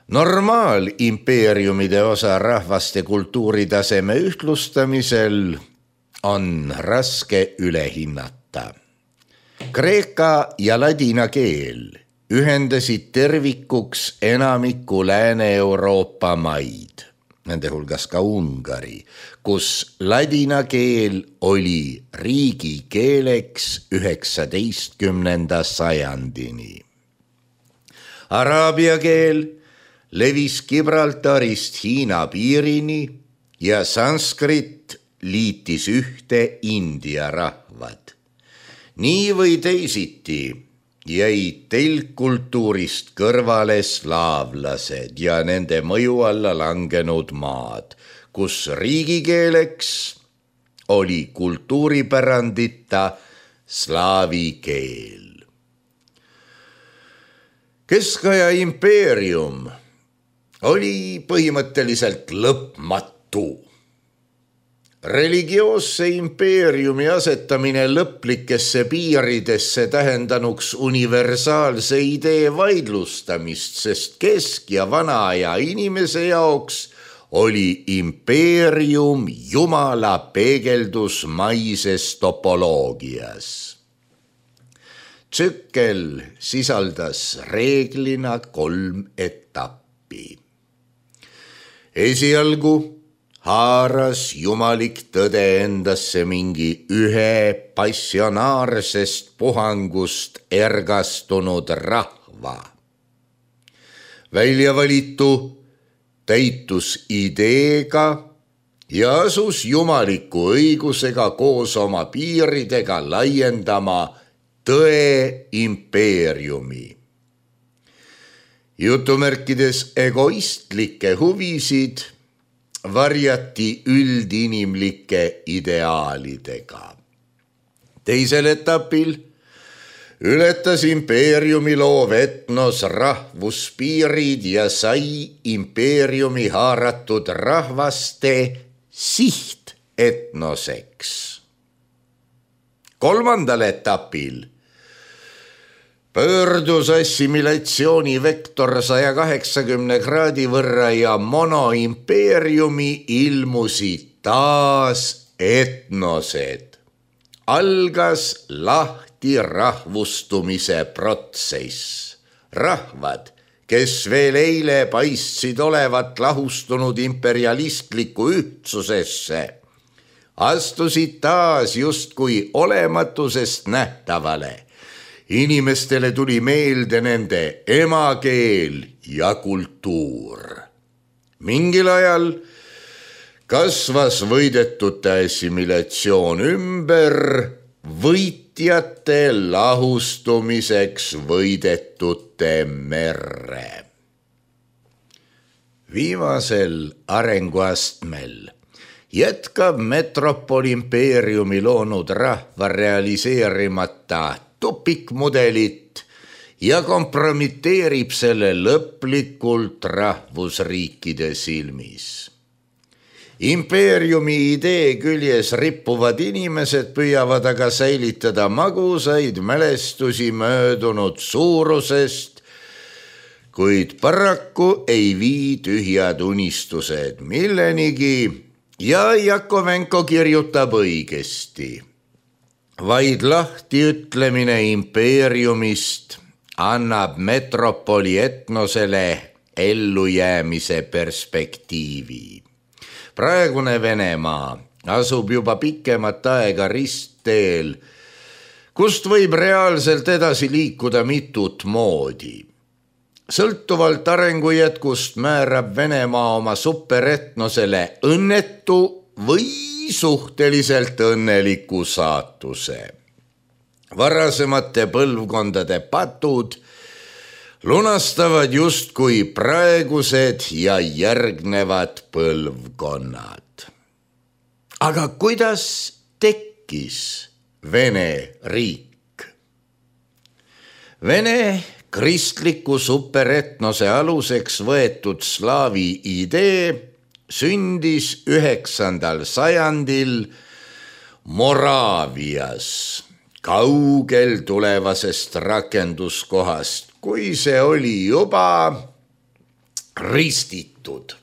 Normaalimpeeriumide osa rahvaste kultuuritaseme ühtlustamisel on raske üle hinnata. Kreeka ja ladina keel ühendasid tervikuks enamiku Lääne-Euroopa maid, nende hulgas ka Ungari, kus ladina keel oli riigikeeleks üheksateistkümnenda sajandini. Araabia keel levis Gibraltarist Hiina piirini ja sanskrit liitis ühte India rahvad. Nii või teisiti jäid telkkultuurist kõrvale slaavlased ja nende mõju alla langenud maad, kus riigikeeleks oli kultuuripärandita slaavi keel. Keskaja impeerium oli põhimõtteliselt lõpmatu. Religioosse impeeriumi asetamine lõplikesse piiridesse tähendanuks universaalse idee vaidlustamist, sest kesk- ja vanaaja inimese jaoks oli impeerium jumala peegeldus maises topoloogias. Tsükkel sisaldas reeglina kolm etappi. Esialgu haaras jumalik tõde endasse mingi ühe passionaarsest puhangust ergastunud rahva. Väljavalitu täitus ideega ja asus jumaliku õigusega koos oma piiridega laiendama tõe impeeriumi. Jutumärkides egoistlikke huvisid varjati üldinimlike ideaalidega. Teisel etapil ületas impeeriumi loov etnos rahvuspiirid ja sai impeeriumi haaratud rahvaste sihtetnoseks. Kolmandal etapil pöördus assimilatsiooni vektor saja kaheksakümne kraadi võrra ja monoimpeeriumi ilmusid taas etnosed. Algas lahti rahvustumise protsess. Rahvad, kes veel eile paistsid olevat lahustunud imperialistliku ühtsusesse, astusid taas justkui olematusest nähtavale. Inimestele tuli meelde nende emakeel ja kultuur. Mingil ajal kasvas võidetute assimilatsioon ümber võitjate lahustumiseks võidetute merre. Viimasel arenguastmel jätkab metropolimpeeriumi loonud rahva realiseerimata tupikmudelit ja kompromiteerib selle lõplikult rahvusriikide silmis. Impeeriumi idee küljes rippuvad inimesed püüavad aga säilitada magusaid mälestusi möödunud suurusest, kuid paraku ei vii tühjad unistused millenigi ja Jakovenko kirjutab õigesti. Vaid lahti ütlemine impeeriumist annab metropoli etnosele ellujäämise perspektiivi. Praegune Venemaa asub juba pikemat aega ristteel, kust võib reaalselt edasi liikuda mitut moodi. Sõltuvalt arengujätkust määrab Venemaa oma superetnosele õnnetu või suhteliselt õnneliku saatuse. Varasemate põlvkondade patud lunastavad justkui praegused ja järgnevad põlvkonnad. Aga kuidas tekkis Vene riik? Vene kristliku superetnose aluseks võetud slaavi idee sündis üheksandal sajandil Moraavias, kaugel tulevasest rakenduskohast, kui see oli juba ristitud,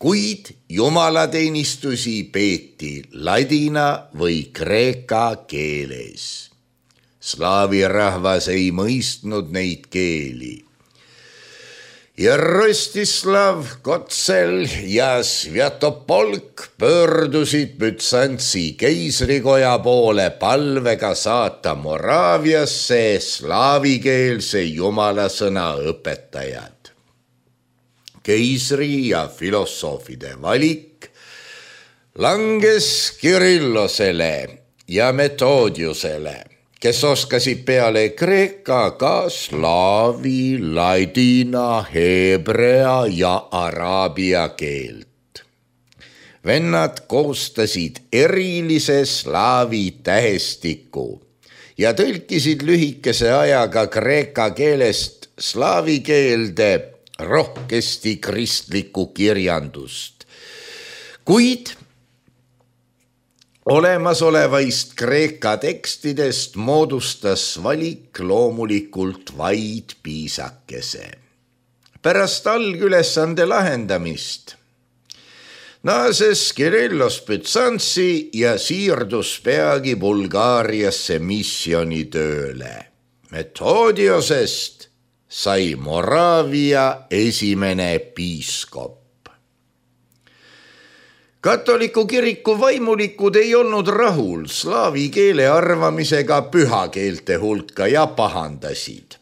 kuid jumalateenistusi peeti ladina või kreeka keeles. Slaavi rahvas ei mõistnud neid keeli. Ja Rostislav, Kotsel ja Sviatopolk pöördusid Bütsantsi keisrikoja poole palvega saata Moraaviasse slaavikeelse jumalasõna õpetajad. Keisri ja filosoofide valik langes Kirillosele ja Metodiusele, kes oskasid peale kreeka ka slaavi, ladina, heebrea ja araabia keelt. Vennad koostasid erilise slaavi tähestiku ja tõlkisid lühikese ajaga kreeka keelest slaavi keelde rohkesti kristlikku kirjandust. Kuid olemasolevaist kreeka tekstidest moodustas valik loomulikult vaid piisakese. Pärast algülesande lahendamist naases Kirillos Bütsantsi ja siirdus peagi Bulgaariasse missioonitööle. Metodiosest sai Moraavia esimene piiskop. Katoliku kiriku vaimulikud ei olnud rahul slaavi keele arvamisega pühakeelte hulka ja pahandasid.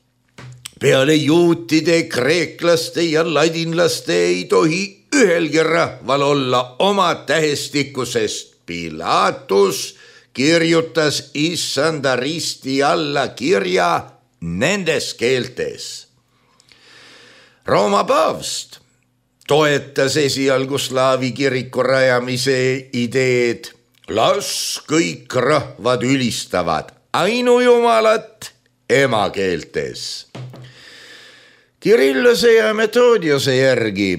Peale juutide, kreeklaste ja ladinlaste ei tohi ühelgi rahval olla oma tähestikusest. Pilatus kirjutas issanda risti alla kirja nendes keeltes. Rooma paavst toetas esialgu slaavi kiriku rajamise ideed. Las kõik rahvad ülistavad ainujumalat emakeeltes. Kirillose ja Metodiose järgi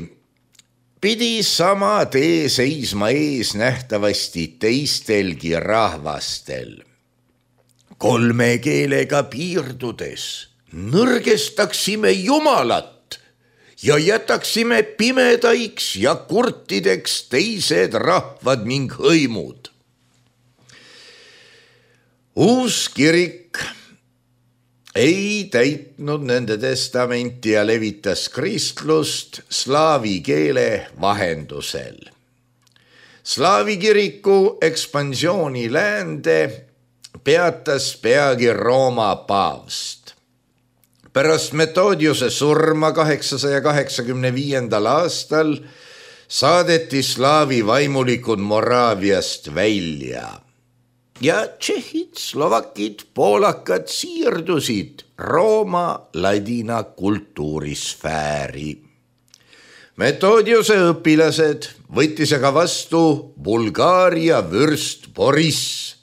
pidi sama tee seisma ees nähtavasti teistelgi rahvastel. Kolme keelega piirdudes nõrgestaksime jumalat ja jätaksime pimedaiks ja kurtideks teised rahvad ning hõimud. Uus kirik ei täitnud nende testamenti ja levitas kristlust slaavi keele vahendusel. Slaavi kiriku ekspansiooni läände peatas peagi Rooma paavst. Pärast Metodiuse surma kaheksasaja kaheksakümne viiendal aastal saadeti slaavi vaimulikud Moraaviast välja ja tšehhid, slovakid, poolakad siirdusid Rooma ladina kultuurisfääri. Metodiuse õpilased võttis aga vastu Bulgaaria vürst Boriss.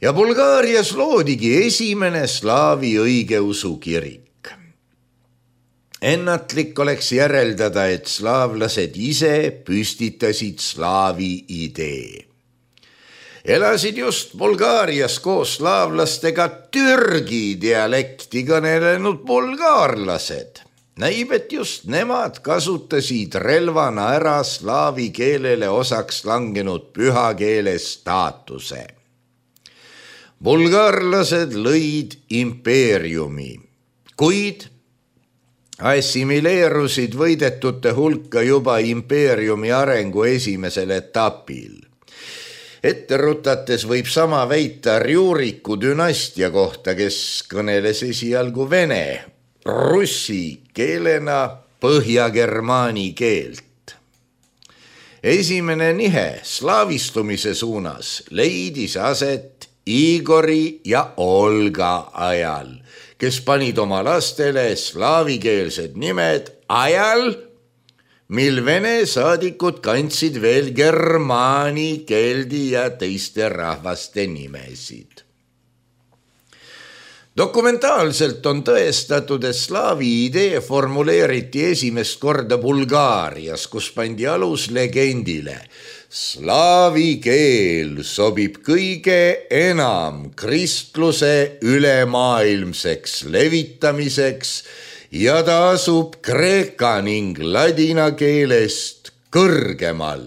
Ja Bulgaarias loodigi esimene slaavi õigeusu kirik. Ennatlik oleks järeldada, et slaavlased ise püstitasid slaavi idee. Elasid just Bulgaarias koos slaavlastega türgi dialekti kõnelenud bulgaarlased. Näib, et just nemad kasutasid relvana ära slaavi keelele osaks langenud pühakeele staatuse. Bulgaarlased lõid impeeriumi, kuid assimileerusid võidetute hulka juba impeeriumi arengu esimesel etapil. Ette rutates võib sama väita Rjuriku dünastia kohta, kes kõneles esialgu vene, russi keelena põhjagermaani keelt. Esimene nihe slaavistumise suunas leidis aset Igori ja Olga ajal, kes panid oma lastele slaavikeelsed nimed ajal, mil vene saadikud kandsid veel germaani, keldi ja teiste rahvaste nimesid. Dokumentaalselt on tõestatud, et slaavi idee formuleeriti esimest korda Bulgaarias, kus pandi alus legendile. Slaavi keel sobib kõige enam kristluse ülemaailmseks levitamiseks ja ta asub kreeka ning ladina keelest kõrgemal.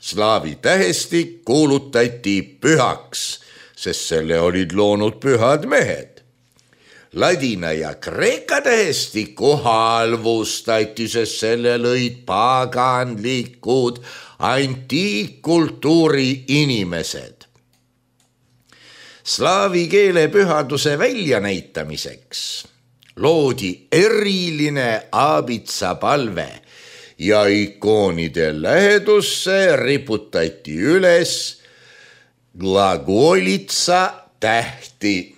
Slaavi tähestik kuulutati pühaks, sest selle olid loonud pühad mehed. Ladina ja kreeka tähestiku halvustati, sest selle lõid paganlikud antiikkultuuri inimesed. Slaavi keele pühaduse väljanäitamiseks loodi eriline aabitsapalve ja ikoonide lähedusse riputati üles glagolitsa tähti.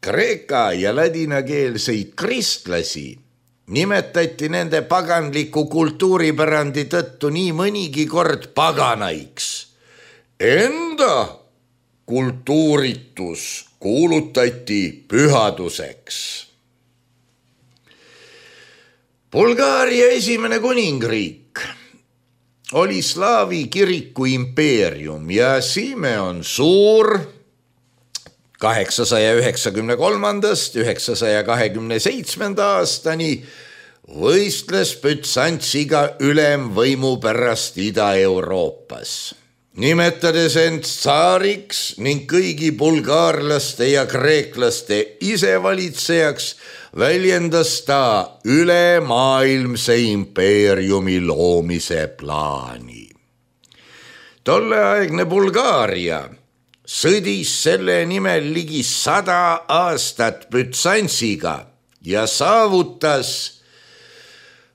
Kreeka ja ladinakeelseid kristlasi nimetati nende paganliku kultuuripärandi tõttu nii mõnigi kord paganaiks. Enda kultuuritus kuulutati pühaduseks. Bulgaaria esimene kuningriik oli slaavi kiriku impeerium ja Simeon Suur kaheksasaja üheksakümne kolmandast üheksasaja kahekümne seitsmenda aastani võistles Bütsantsiga ülemvõimu pärast Ida-Euroopas. Nimetades end tsaariks ning kõigi bulgaarlaste ja kreeklaste isevalitsejaks, väljendas ta ülemaailmse impeeriumi loomise plaani. Tolleaegne Bulgaaria sõdis selle nimel ligi sada aastat Bütsantsiga ja saavutas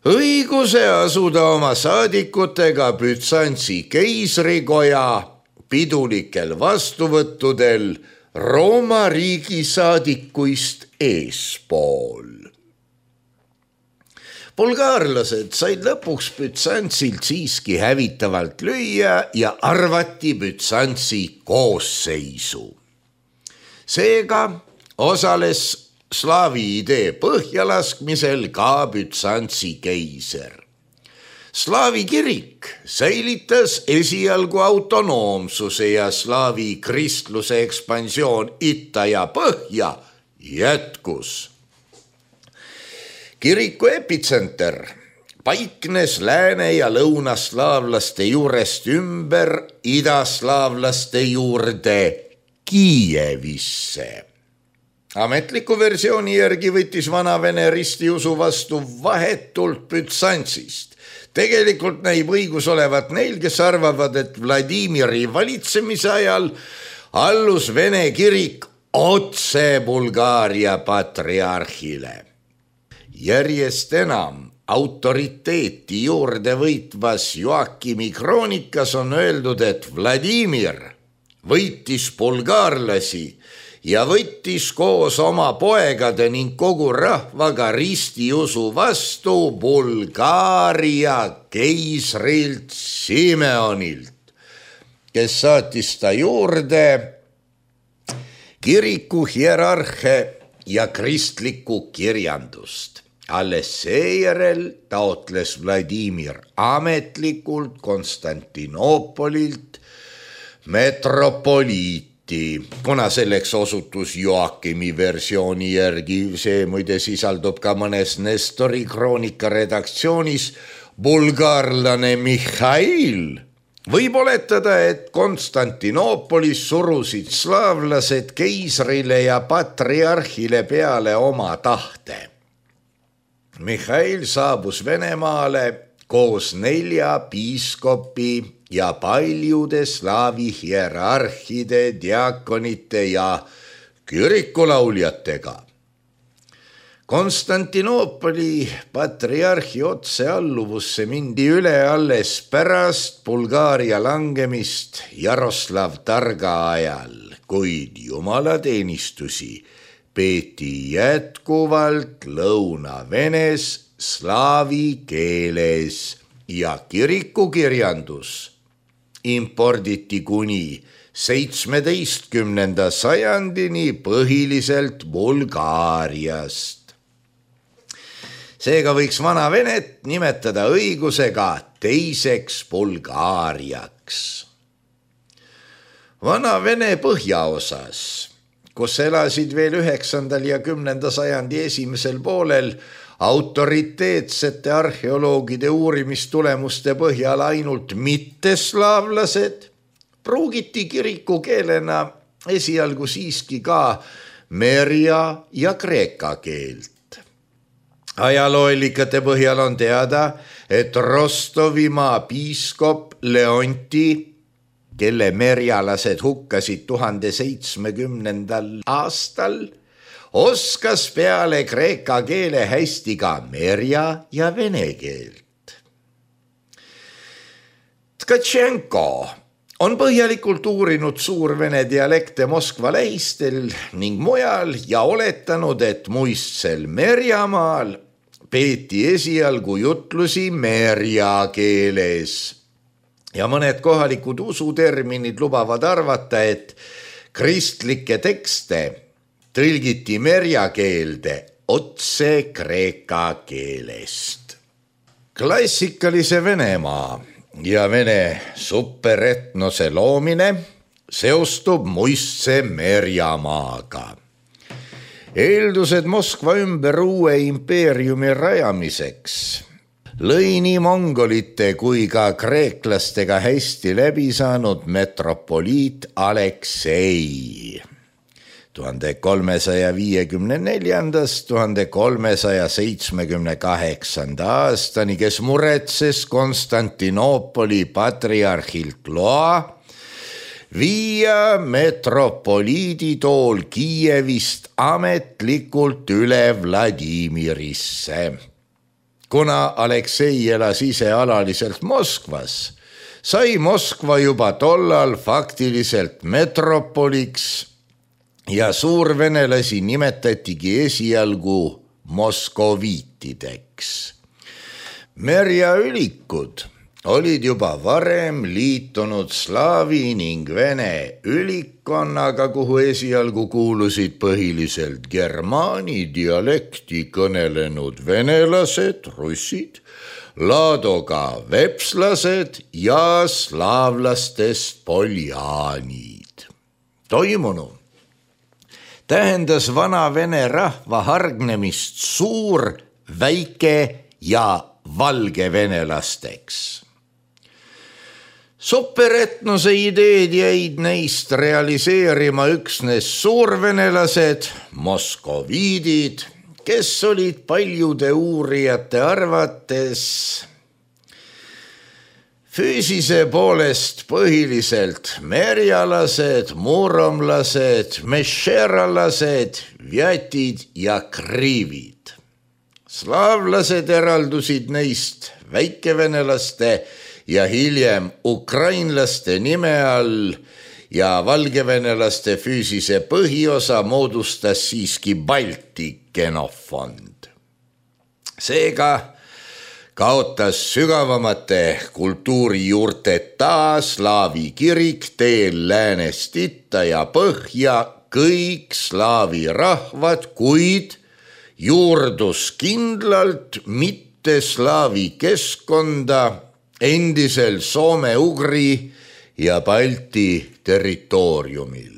õiguse asuda oma saadikutega Bütsantsi keisrikoja pidulikel vastuvõttudel Rooma riigi saadikuist eespool. Bulgaarlased said lõpuks Bütsantsilt siiski hävitavalt lüüa ja arvati Bütsantsi koosseisu. Seega osales slaavi idee põhjalaskmisel ka Bütsantsi keiser. Slaavi kirik säilitas esialgu autonoomsuse ja slaavi kristluse ekspansioon itta ja põhja jätkus. Kiriku epitsenter paiknes lääne- ja lõunaslaavlaste juurest ümber idaslaavlaste juurde Kiievisse. Ametliku versiooni järgi võttis vanavene ristiusu vastu vahetult Bütsantsist. Tegelikult näib õigus olevat neil, kes arvavad, et Vladimiri valitsemise ajal allus vene kirik otse Bulgaaria patriarhile. Järjest enam autoriteeti juurde võitvas Joakimi kroonikas on öeldud, et Vladimir võitis bulgaarlasi ja võttis koos oma poegade ning kogu rahvaga ristiusu vastu Bulgaaria keisrilt Simeonilt, kes saatis ta juurde kiriku hierarhe ja kristlikku kirjandust. Alles seejärel taotles Vladimir ametlikult Konstantinoopolilt metropoliiti, kuna selleks osutus Joakimi versiooni järgi, see muide sisaldub ka mõnes Nestori kroonika redaktsioonis, bulgaarlane Mihhail. Võib oletada, et Konstantinoopolis surusid slaavlased keisrile ja patriarhile peale oma tahte. Mihhail saabus Venemaale koos nelja piiskopi ja paljude slaavi hierarhide, diakonite ja kirikulauljatega. Konstantinoopoli patriarhi otsealluvusse mindi üle alles pärast Bulgaaria langemist Jaroslav Targa ajal, kuid jumalateenistusi peeti jätkuvalt Lõuna-Venes slaavi keeles ja kirikukirjandus imporditi kuni seitsmeteistkümnenda sajandini põhiliselt Bulgaariast. Seega võiks Vana-Venet nimetada õigusega teiseks Bulgaariaks. Vana-Vene põhjaosas, kus elasid veel üheksandal ja kümnenda sajandi esimesel poolel autoriteetsete arheoloogide uurimistulemuste põhjal ainult mitteslaavlased, pruugiti kirikukeelena esialgu siiski ka merja ja kreeka keelt. Ajalooallikate põhjal on teada, et Rostovimaa piiskop Leonti, kelle merjalased hukkasid tuhande seitsmekümnendal aastal, oskas peale kreeka keele hästi ka merja ja vene keelt. Tkatšenko on põhjalikult uurinud suurvene dialekte Moskva lähistel ning mujal ja oletanud, et muistsel Merjamaal peeti esialgu jutlusi merja keeles. Ja mõned kohalikud usuterminid lubavad arvata, et kristlikke tekste tõlgiti merja keelde otse kreeka keelest. Klassikalise Venemaa ja Vene superetnose loomine seostub muistse Merjamaaga. Eeldused Moskva ümber uue impeeriumi rajamiseks lõi nii mongolite kui ka kreeklastega hästi läbi saanud metropoliit Aleksei. tuhande kolmesaja viiekümne neljandast tuhande kolmesaja seitsmekümne kaheksanda aastani, kes muretses Konstantinoopoli patriarhilt loa viia metropoliidi tool Kiievist ametlikult üle Vladimirisse. Kuna Aleksei elas ise alaliselt Moskvas, sai Moskva juba tollal faktiliselt metropoliks ja suurvenelasi nimetatigi esialgu moskoviitideks. Merjaülikud olid juba varem liitunud slaavi ning vene ülikkonnaga, kuhu esialgu kuulusid põhiliselt germaani dialekti kõnelenud venelased, russid, laadoga vepslased ja slaavlastest poljaanid. Toimunu tähendas Vana-Vene rahva hargnemist suur, väike ja valge venelasteks. Superetnose ideed jäid neist realiseerima üksnes suurvenelased, moskoviidid, kes olid paljude uurijate arvates füüsise poolest põhiliselt merjalased, muromlased, mešeralased, vjatid ja kriivid. Slaavlased eraldusid neist väikevenelaste ja hiljem ukrainlaste nime all ja valgevenelaste füüsise põhiosa moodustas siiski Balti genofond. Seega kaotas sügavamate kultuurijuurteta slaavi kirik teel läänest itta ja põhja kõik slaavi rahvad, kuid juurdus kindlalt mitte slaavi keskkonda endisel soome-ugri ja Balti territooriumil.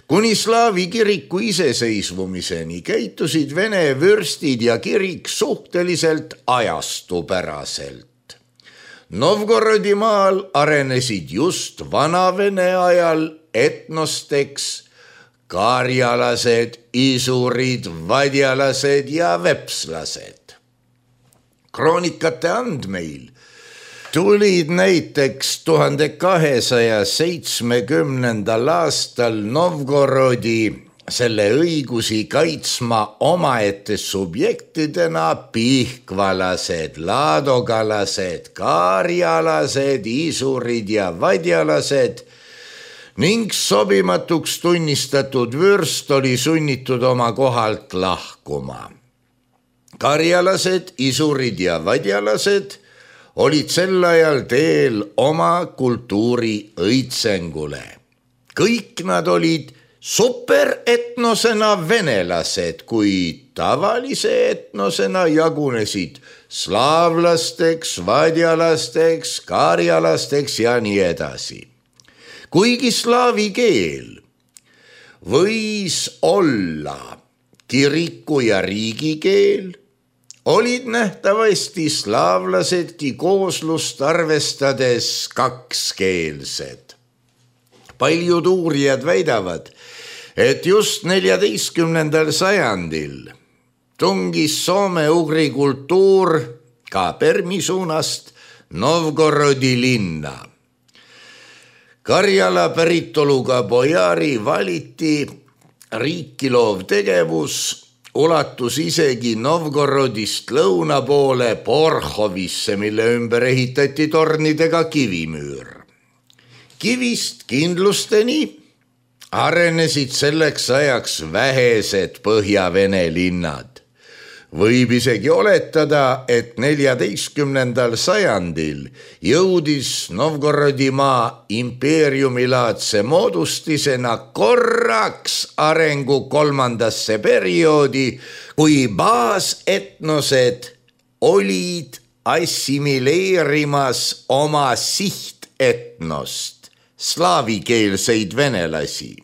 Kuni slaavi kiriku iseseisvumiseni käitusid vene vürstid ja kirik suhteliselt ajastupäraselt. Novgorodi maal arenesid just vanavene ajal etnosteks karjalased, isurid, vadjalased ja vepslased. Kroonikate andmeil tulid näiteks tuhande kahesaja seitsmekümnendal aastal Novgorodi selle õigusi kaitsma omaette subjektidena pihkvalased, laadogalased, kaarjalased, isurid ja vadjalased ning sobimatuks tunnistatud vürst oli sunnitud oma kohalt lahkuma. Karjalased, isurid ja vadjalased olid sel ajal teel oma kultuuri õitsengule. Kõik nad olid superetnosena venelased, kuid tavalise etnosena jagunesid slaavlasteks, vadjalasteks, karjalasteks ja nii edasi. Kuigi slaavi keel võis olla kiriku ja riigikeel, olid nähtavasti slaavlasedki kooslust arvestades kakskeelsed. Paljud uurijad väidavad, et just neljateistkümnendal sajandil tungis soome-ugri kultuur ka Permi suunast Novgorodi linna. Karjala päritoluga bojari valiti riiki loov tegevus ulatus isegi Novgorodist lõuna poole Porhovisse, mille ümber ehitati tornidega kivimüür. Kivist kindlusteni arenesid selleks ajaks vähesed Põhja-Vene linnad. Võib isegi oletada, et neljateistkümnendal sajandil jõudis Novgorodimaa impeeriumilaadse moodustisena korraks arengu kolmandasse perioodi, kui baasetnosed olid assimileerimas oma sihtetnost, slaavikeelseid venelasi.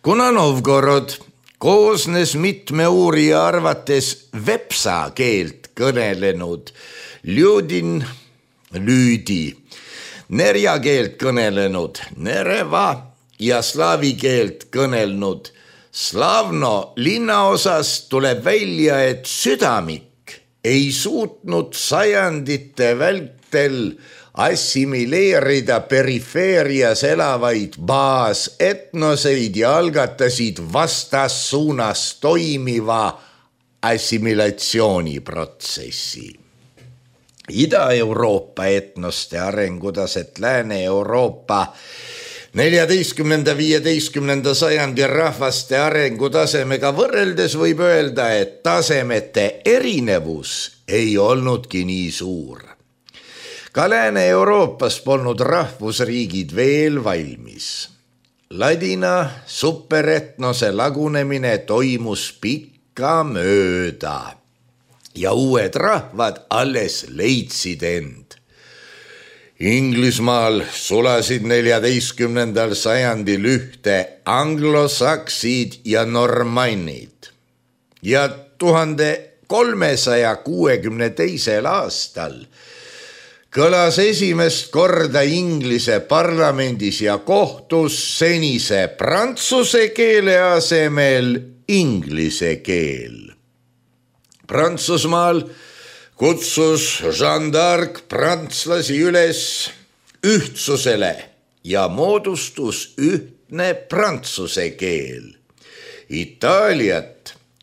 Kuna Novgorod koosnes mitme uurija arvates vepsa keelt kõnelenud Ljudin, Lüüdi, nerja keelt kõnelenud Nereva ja slaavi keelt kõnelnud Slavno linnaosast tuleb välja, et südamik ei suutnud sajandite vältel assimileerida perifeerias elavaid baasetnoseid ja algatasid vastassuunas toimiva assimilatsiooniprotsessi. Ida-Euroopa etnoste arengutaset Lääne-Euroopa neljateistkümnenda viieteistkümnenda sajandi rahvaste arengutasemega võrreldes võib öelda, et tasemete erinevus ei olnudki nii suur. Ka Lääne-Euroopas polnud rahvusriigid veel valmis. Ladina superetnose lagunemine toimus pikka mööda ja uued rahvad alles leidsid end. Inglismaal sulasid neljateistkümnendal sajandil ühte anglosaksid ja normannid ja tuhande kolmesaja kuuekümne teisel aastal kõlas esimest korda Inglise parlamendis ja kohtus senise prantsuse keele asemel inglise keel. Prantsusmaal kutsus Jeanne d'Arc prantslasi üles ühtsusele ja moodustus ühtne prantsuse keel. Itaaliat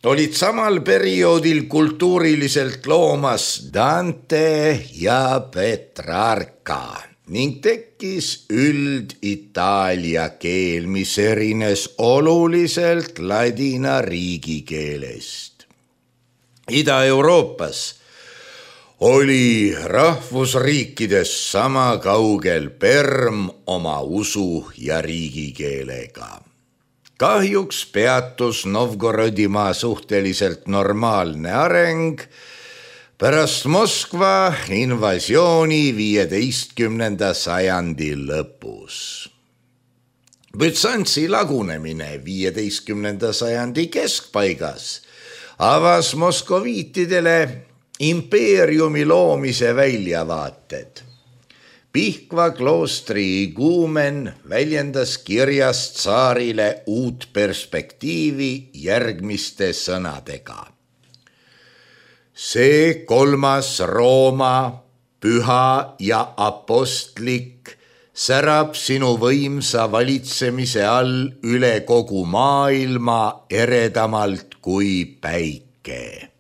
olid samal perioodil kultuuriliselt loomas Dante ja Petrarca ning tekkis üld-itaalia keel, mis erines oluliselt ladina riigikeelest. Ida-Euroopas oli rahvusriikides sama kaugel Perm oma usu ja riigikeelega. Kahjuks peatus Novgorodimaa suhteliselt normaalne areng pärast Moskva invasiooni viieteistkümnenda sajandi lõpus. Bütsantsi lagunemine viieteistkümnenda sajandi keskpaigas avas moskoviitidele impeeriumi loomise väljavaated. Pihkva kloostri iguumen väljendas kirjas tsaarile uut perspektiivi järgmiste sõnadega. See kolmas Rooma, püha ja apostlik särab sinu võimsa valitsemise all üle kogu maailma eredamalt kui päike.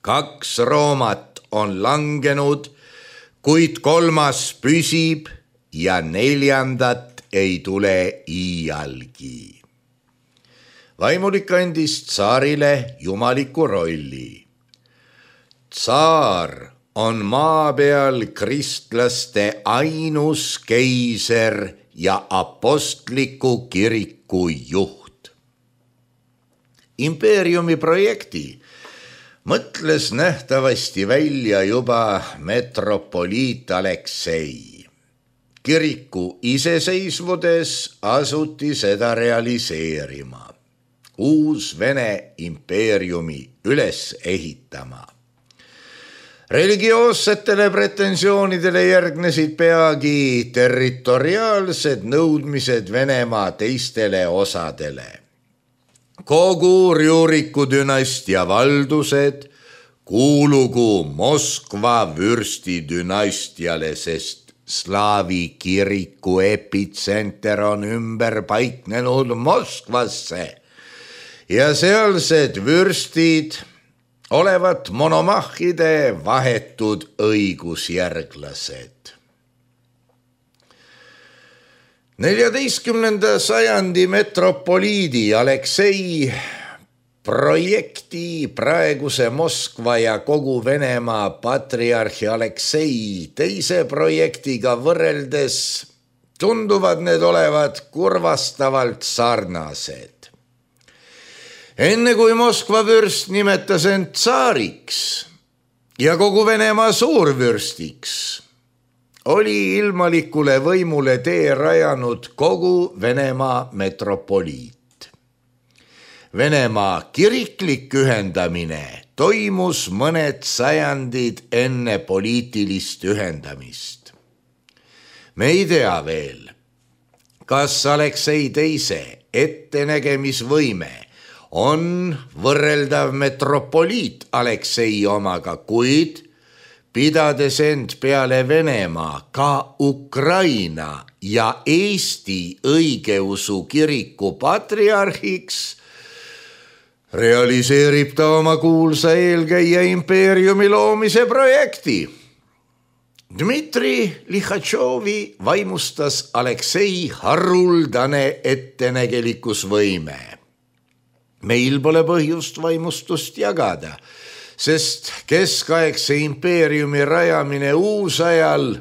Kaks Roomat on langenud, kuid kolmas püsib ja neljandat ei tule iialgi. Vaimulik andis tsaarile jumaliku rolli. Tsaar on maa peal kristlaste ainus keiser ja apostliku kiriku juht. Impeeriumi projekti mõtles nähtavasti välja juba metropoliit Aleksei. Kiriku iseseisvudes asuti seda realiseerima, uus Vene impeeriumi üles ehitama. Religioossetele pretensioonidele järgnesid peagi territoriaalsed nõudmised Venemaa teistele osadele. Kogu Rjuriku dünastia valdused kuulugu Moskva vürsti dünastiale, sest slaavi kiriku epitsenter on ümber paiknenud Moskvasse ja sealsed vürstid olevat monomahhide vahetud õigusjärglased. neljateistkümnenda sajandi metropoliidi Aleksei projekti praeguse Moskva ja kogu Venemaa patriarhi Aleksei teise projektiga võrreldes tunduvad need olevat kurvastavalt sarnased. Enne kui Moskva vürst nimetas end tsaariks ja kogu Venemaa suurvürstiks, oli ilmalikule võimule tee rajanud kogu Venemaa metropoliit. Venemaa kiriklik ühendamine toimus mõned sajandid enne poliitilist ühendamist. Me ei tea veel, kas Aleksei teise ettenägemisvõime on võrreldav metropoliit Aleksei omaga, kuid pidades end peale Venemaa ka Ukraina ja Eesti õigeusu kiriku patriarhiks, realiseerib ta oma kuulsa eelkäija impeeriumi loomise projekti. Dmitri Lihatšovi vaimustas Aleksei haruldane ettenägelikkusvõime. Meil pole põhjust vaimustust jagada, sest keskaegse impeeriumi rajamine uusajal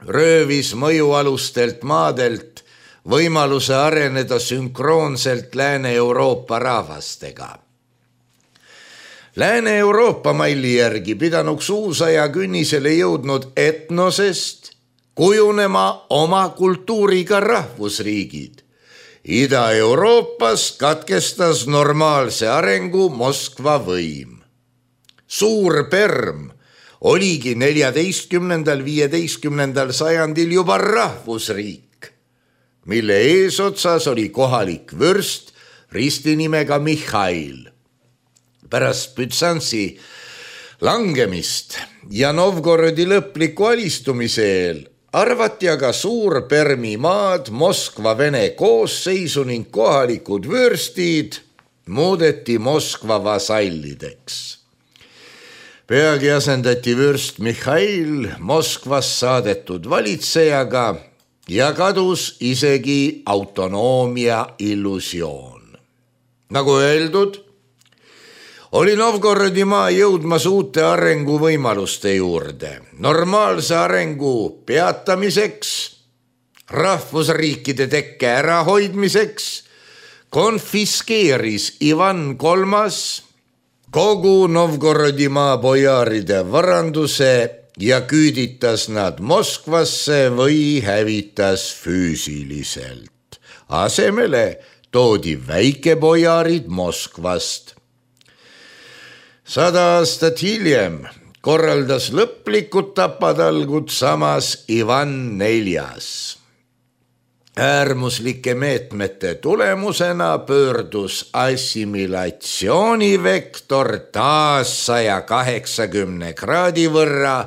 röövis mõjualustelt maadelt võimaluse areneda sünkroonselt Lääne-Euroopa rahvastega. Lääne-Euroopa malli järgi pidanuks uusaja künnisele jõudnud etnosest kujunema oma kultuuriga rahvusriigid. Ida-Euroopas katkestas normaalse arengu Moskva võim. Suur Perm oligi neljateistkümnendal viieteistkümnendal sajandil juba rahvusriik, mille eesotsas oli kohalik vürst ristinimega Mihhail. Pärast Bütsantsi langemist ja Novgorodi lõpliku alistumise eel arvati aga Suur Permi maad Moskva Vene koosseisu ning kohalikud vürstid muudeti Moskva vasallideks. Peagi asendati vürst Mihhail Moskvas saadetud valitsejaga ja kadus isegi autonoomia illusioon. Nagu öeldud, oli Novgorodi maa jõudmas uute arenguvõimaluste juurde. Normaalse arengu peatamiseks, rahvusriikide tekke ärahoidmiseks konfiskeeris Ivan kolmas kogu Novgorodimaa bojaaride varanduse ja küüditas nad Moskvasse või hävitas füüsiliselt. Asemele toodi väikebojaarid Moskvast. Sada aastat hiljem korraldas lõplikud tapatalgud samas Ivan neljas. Äärmuslike meetmete tulemusena pöördus assimilatsioonivektor taas saja kaheksakümne kraadi võrra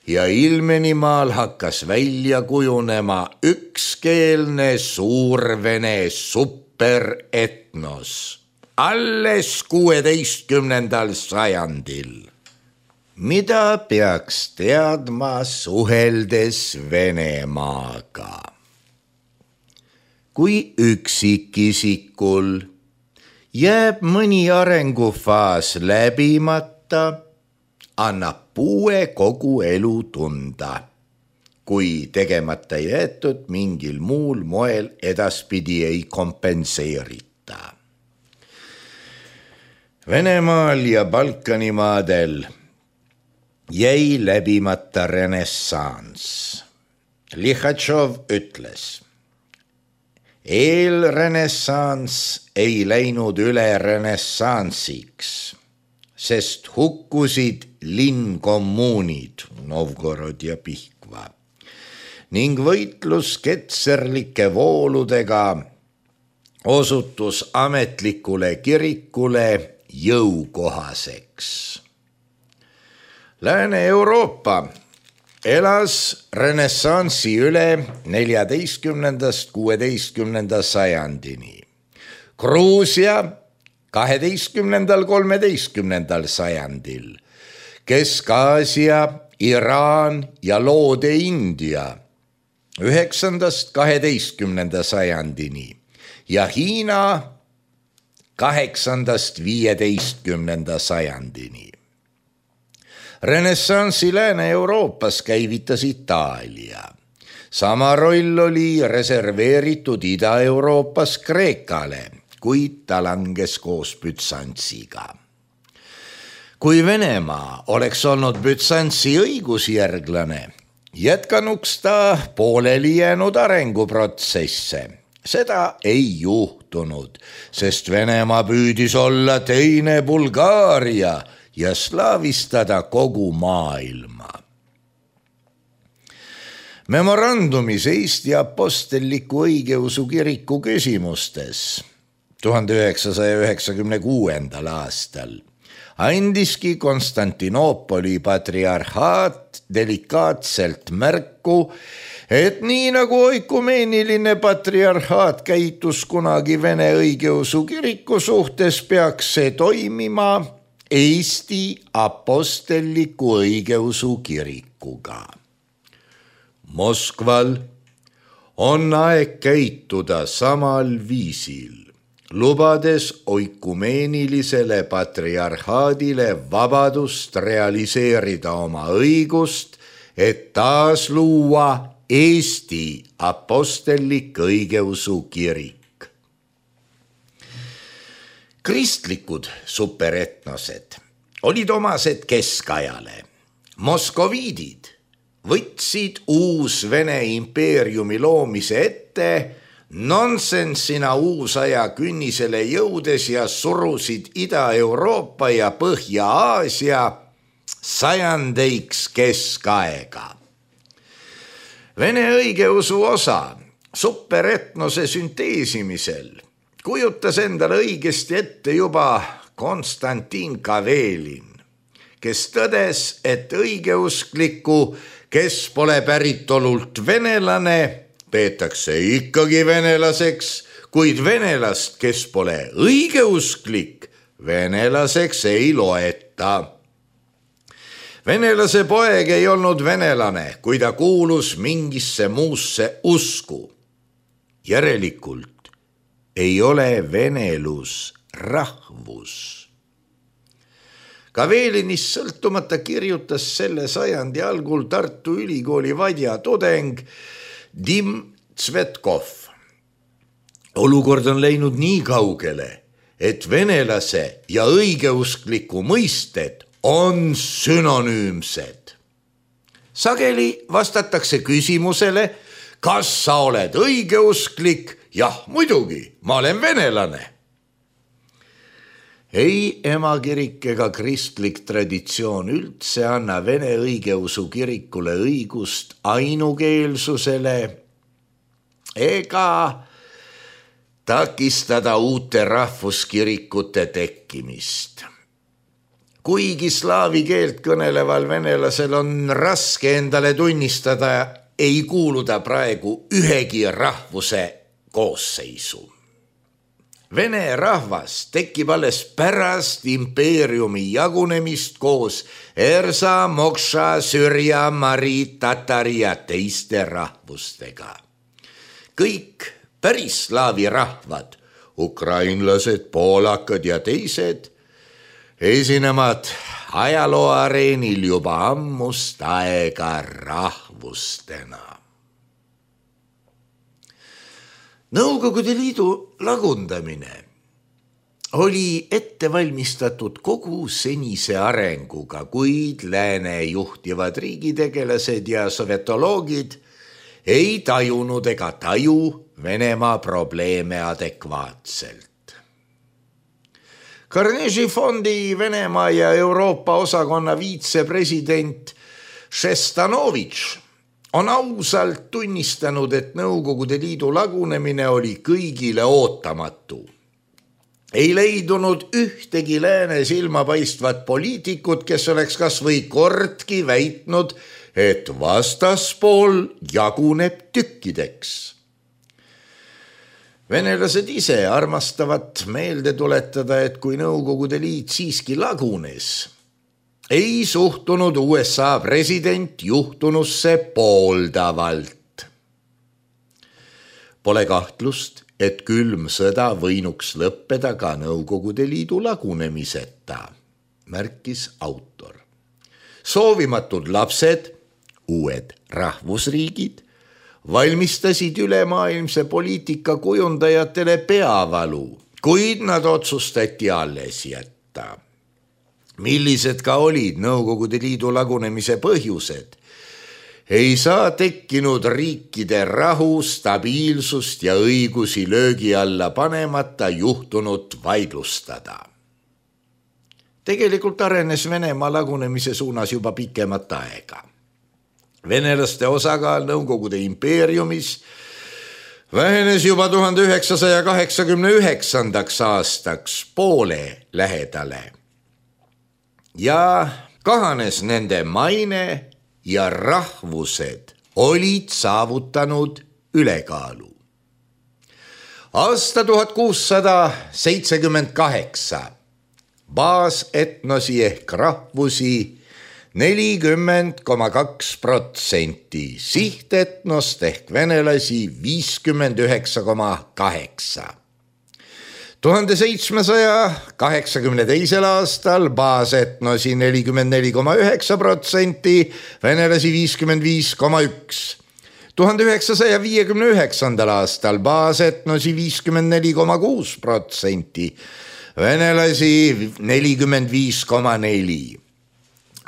ja Ilmenimaal hakkas välja kujunema ükskeelne suurvene superetnos alles kuueteistkümnendal sajandil. Mida peaks teadma suheldes Venemaaga? Kui üksikisikul jääb mõni arengufaas läbimata, annab puue kogu elu tunda, kui tegemata jäetud mingil muul moel edaspidi ei kompenseerita. Venemaal ja Balkanimaadel jäi läbimata renessanss. Lihatšov ütles, eelrenessanss ei läinud üle renessansiks, sest hukkusid linnkommuunid Novgorod ja Pihkva ning võitlus ketserlike vooludega osutus ametlikule kirikule jõukohaseks. Lääne-Euroopa elas renessansi üle neljateistkümnendast kuueteistkümnenda sajandini. Gruusia kaheteistkümnendal kolmeteistkümnendal sajandil, Kesk-Aasia, Iraan ja Loode-India üheksandast kaheteistkümnenda sajandini ja Hiina kaheksandast viieteistkümnenda sajandini. Renessansi Lääne-Euroopas käivitas Itaalia. Sama roll oli reserveeritud Ida-Euroopas Kreekale, kuid ta langes koos Bütsantsiga. Kui Venemaa oleks olnud Bütsantsi õigusjärglane, jätkanuks ta pooleli jäänud arenguprotsesse. Seda ei juhtunud, sest Venemaa püüdis olla teine Bulgaaria ja slaavistada kogu maailma. Memorandumis Eesti apostelliku õigeusu kiriku küsimustes tuhande üheksasaja üheksakümne kuuendal aastal andiski Konstantinoopoli patriarhaat delikaatselt märku, et nii nagu oikumeeniline patriarhaat käitus kunagi Vene õigeusu kiriku suhtes, peaks see toimima Eesti apostelliku õigeusu kirikuga. Moskval on aeg käituda samal viisil, lubades oikumeenilisele patriarhaadile vabadust realiseerida oma õigust, et taas luua Eesti apostellik õigeusu kirik. Kristlikud superetnosed olid omased keskajale. Moskoviidid võtsid uus Vene impeeriumi loomise ette nonsensina uusaja künnisele jõudes ja surusid Ida-Euroopa ja Põhja-Aasia sajandeiks keskaega. Vene õigeusu osa superetnose sünteesimisel kujutas endale õigesti ette juba Konstantin Kavelin, kes tõdes, et õigeusklikku, kes pole päritolult venelane, peetakse ikkagi venelaseks, kuid venelast, kes pole õigeusklik, venelaseks ei loeta. Venelase poeg ei olnud venelane, kui ta kuulus mingisse muusse usku. Järelikult ei ole venelus rahvus. Kavelinist sõltumata kirjutas selle sajandi algul Tartu Ülikooli vadja tudeng Dim Tsvetkov. olukord on läinud nii kaugele, et venelase ja õigeuskliku mõisted on sünonüümsed. Sageli vastatakse küsimusele, kas sa oled õigeusklik? Jah, muidugi, ma olen venelane. Ei emakirik ega kristlik traditsioon üldse anna Vene õigeusu kirikule õigust ainukeelsusele ega takistada uute rahvuskirikute tekkimist. Kuigi slaavi keelt kõneleval venelasel on raske endale tunnistada, ei kuuluda praegu ühegi rahvuse koosseisu. Vene rahvas tekib alles pärast impeeriumi jagunemist koos Ersa, Mokša, Sürja, Mari, Tatari ja teiste rahvustega. Kõik päris slaavi rahvad, ukrainlased, poolakad ja teised, esinevad ajalooareenil juba ammust aega rahvustena. Nõukogude Liidu lagundamine oli ette valmistatud kogu senise arenguga, kuid lääne juhtivad riigitegelased ja sovetoloogid ei tajunud ega taju Venemaa probleeme adekvaatselt. Carnegie fondi Venemaa ja Euroopa osakonna viitsepresident Šestanovitš on ausalt tunnistanud, et Nõukogude Liidu lagunemine oli kõigile ootamatu. Ei leidunud ühtegi lääne silmapaistvat poliitikut, kes oleks kas või kordki väitnud, et vastaspool jaguneb tükkideks. Venelased ise armastavad meelde tuletada, et kui Nõukogude Liit siiski lagunes, ei suhtunud U S A president juhtunusse pooldavalt. Pole kahtlust, et külm sõda võinuks lõppeda ka Nõukogude Liidu lagunemiseta, märkis autor. Soovimatud lapsed, uued rahvusriigid, valmistasid ülemaailmse poliitika kujundajatele peavalu, kuid nad otsustati alles jätta. Millised ka olid Nõukogude Liidu lagunemise põhjused, ei saa tekkinud riikide rahu, stabiilsust ja õigusi löögi alla panemata juhtunut vaidlustada. Tegelikult arenes Venemaa lagunemise suunas juba pikemat aega. Venelaste osakaal Nõukogude impeeriumis vähenes juba tuhande üheksasaja kaheksakümne üheksandaks aastaks poole lähedale. Ja kahanes nende maine ja rahvused olid saavutanud ülekaalu. Aasta tuhat kuussada seitsekümmend kaheksa baasetnosi ehk rahvusi nelikümmend koma kaks protsenti, sihtetnost ehk venelasi viiskümmend üheksa koma kaheksa. tuhande seitsmesaja kaheksakümne teisel aastal baasetnosi nelikümmend neli koma üheksa protsenti, venelasi viiskümmend viis koma üks. tuhande üheksasaja viiekümne üheksandal aastal baasetnosi viiskümmend neli koma kuus protsenti, venelasi nelikümmend viis koma neli.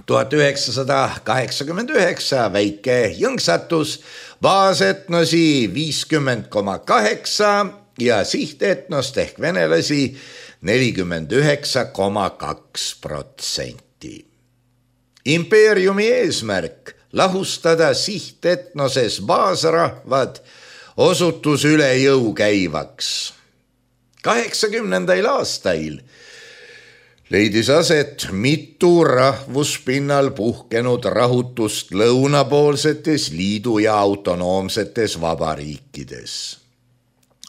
tuhat üheksasada kaheksakümmend üheksa väike jõnksatus, baasetnosi viiskümmend koma kaheksa ja sihtetnost ehk venelasi nelikümmend üheksa koma kaks protsenti. Impeeriumi eesmärk lahustada sihtetnoses baasrahvad osutus üle jõu käivaks. kaheksakümnendail aastail leidis aset mitu rahvuspinnal puhkenud rahutust lõunapoolsetes liidu ja autonoomsetes vabariikides.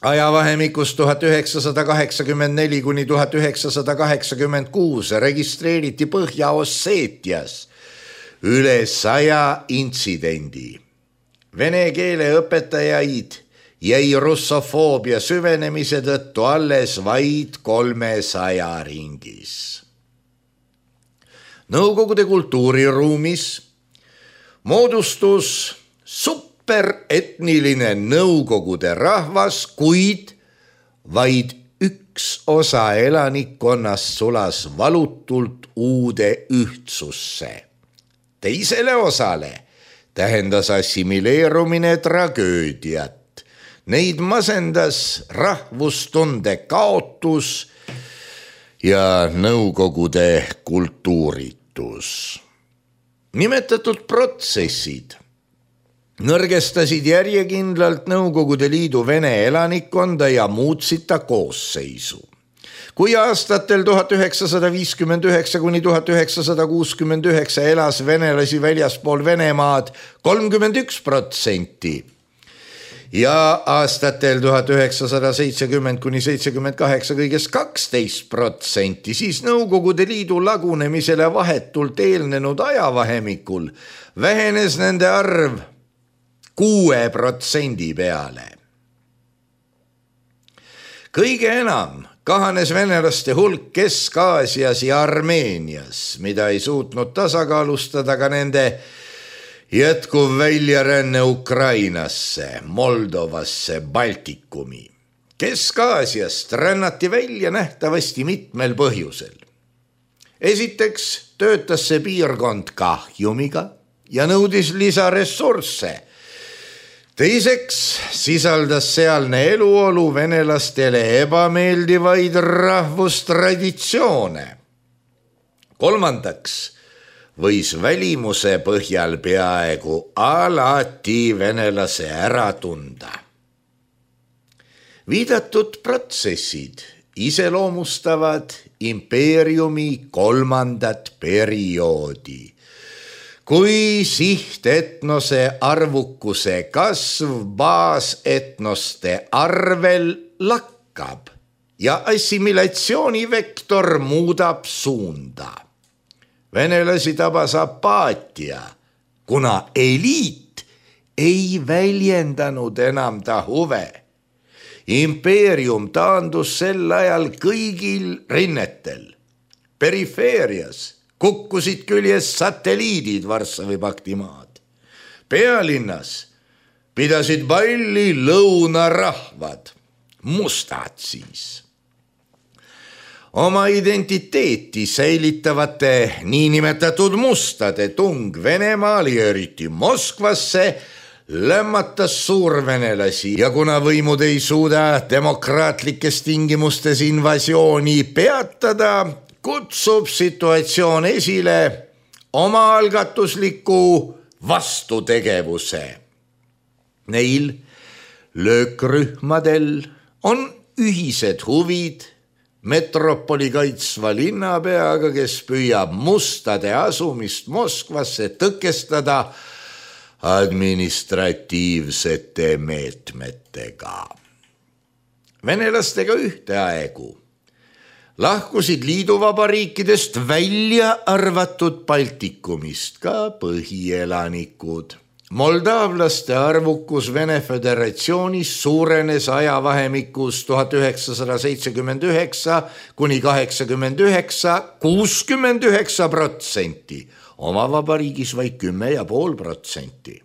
Ajavahemikus tuhat üheksasada kaheksakümmend neli kuni tuhat üheksasada kaheksakümmend kuus registreeriti Põhja-Osseetias üle saja intsidendi. Vene keele õpetajaid jäi russofoobia süvenemise tõttu alles vaid kolmesaja ringis. Nõukogude kultuuriruumis moodustus superetniline nõukogude rahvas, kuid vaid üks osa elanikkonnast sulas valutult uude ühtsusse. Teisele osale tähendas assimileerumine tragöödiat. Neid masendas rahvustunde kaotus ja nõukogude kultuuritus. Nimetatud protsessid nõrgestasid järjekindlalt Nõukogude Liidu Vene elanikkonda ja muutsid ta koosseisu. Kui aastatel tuhat üheksasada viiskümmend üheksa kuni tuhat üheksasada kuuskümmend üheksa elas venelasi väljaspool Venemaad kolmkümmend üks protsenti ja aastatel tuhat üheksasada seitsekümmend kuni seitsekümmend kaheksa kõigest kaksteist protsenti, siis Nõukogude Liidu lagunemisele vahetult eelnenud ajavahemikul vähenes nende arv kuue protsendi peale. Kõige enam kahanes venelaste hulk Kesk-Aasias ja Armeenias, mida ei suutnud tasakaalustada ka nende jätkuv väljaränne Ukrainasse, Moldovasse, Baltikumi. Kesk-Aasiast rännati välja nähtavasti mitmel põhjusel. Esiteks töötas see piirkond kahjumiga ja nõudis lisaressursse. Teiseks sisaldas sealne eluolu venelastele ebameeldivaid rahvustraditsioone. Kolmandaks võis välimuse põhjal peaaegu alati venelase ära tunda. Viidatud protsessid iseloomustavad impeeriumi kolmandat perioodi, kui sihtetnose arvukuse kasv baasetnoste arvel lakkab ja assimilatsioonivektor muudab suunda. Venelasi tabas apaatia, kuna eliit ei väljendanud enam ta huve. Impeerium taandus sel ajal kõigil rinnetel. Perifeerias kukkusid küljes satelliidid Varssavi pakti maad. Pealinnas pidasid palli lõunarahvad, mustad siis. Oma identiteeti säilitavate niinimetatud mustade tung Venemaali ja eriti Moskvasse lämmatas suurvenelasi ja kuna võimud ei suuda demokraatlikes tingimustes invasiooni peatada, kutsub situatsioon esile omaalgatusliku vastutegevuse. Neil löökrühmadel on ühised huvid metropoli kaitsva linnapeaga, kes püüab mustade asumist Moskvasse tõkestada administratiivsete meetmetega. Venelastega ühteaegu lahkusid liiduvabariikidest välja arvatud Baltikumist ka põhielanikud. Moldaavlaste arvukus Vene Föderatsioonis suurenes ajavahemikus tuhat üheksasada seitsekümmend üheksa kuni kaheksakümmend üheksa kuuskümmend üheksa protsenti, oma vabariigis vaid kümme ja pool protsenti.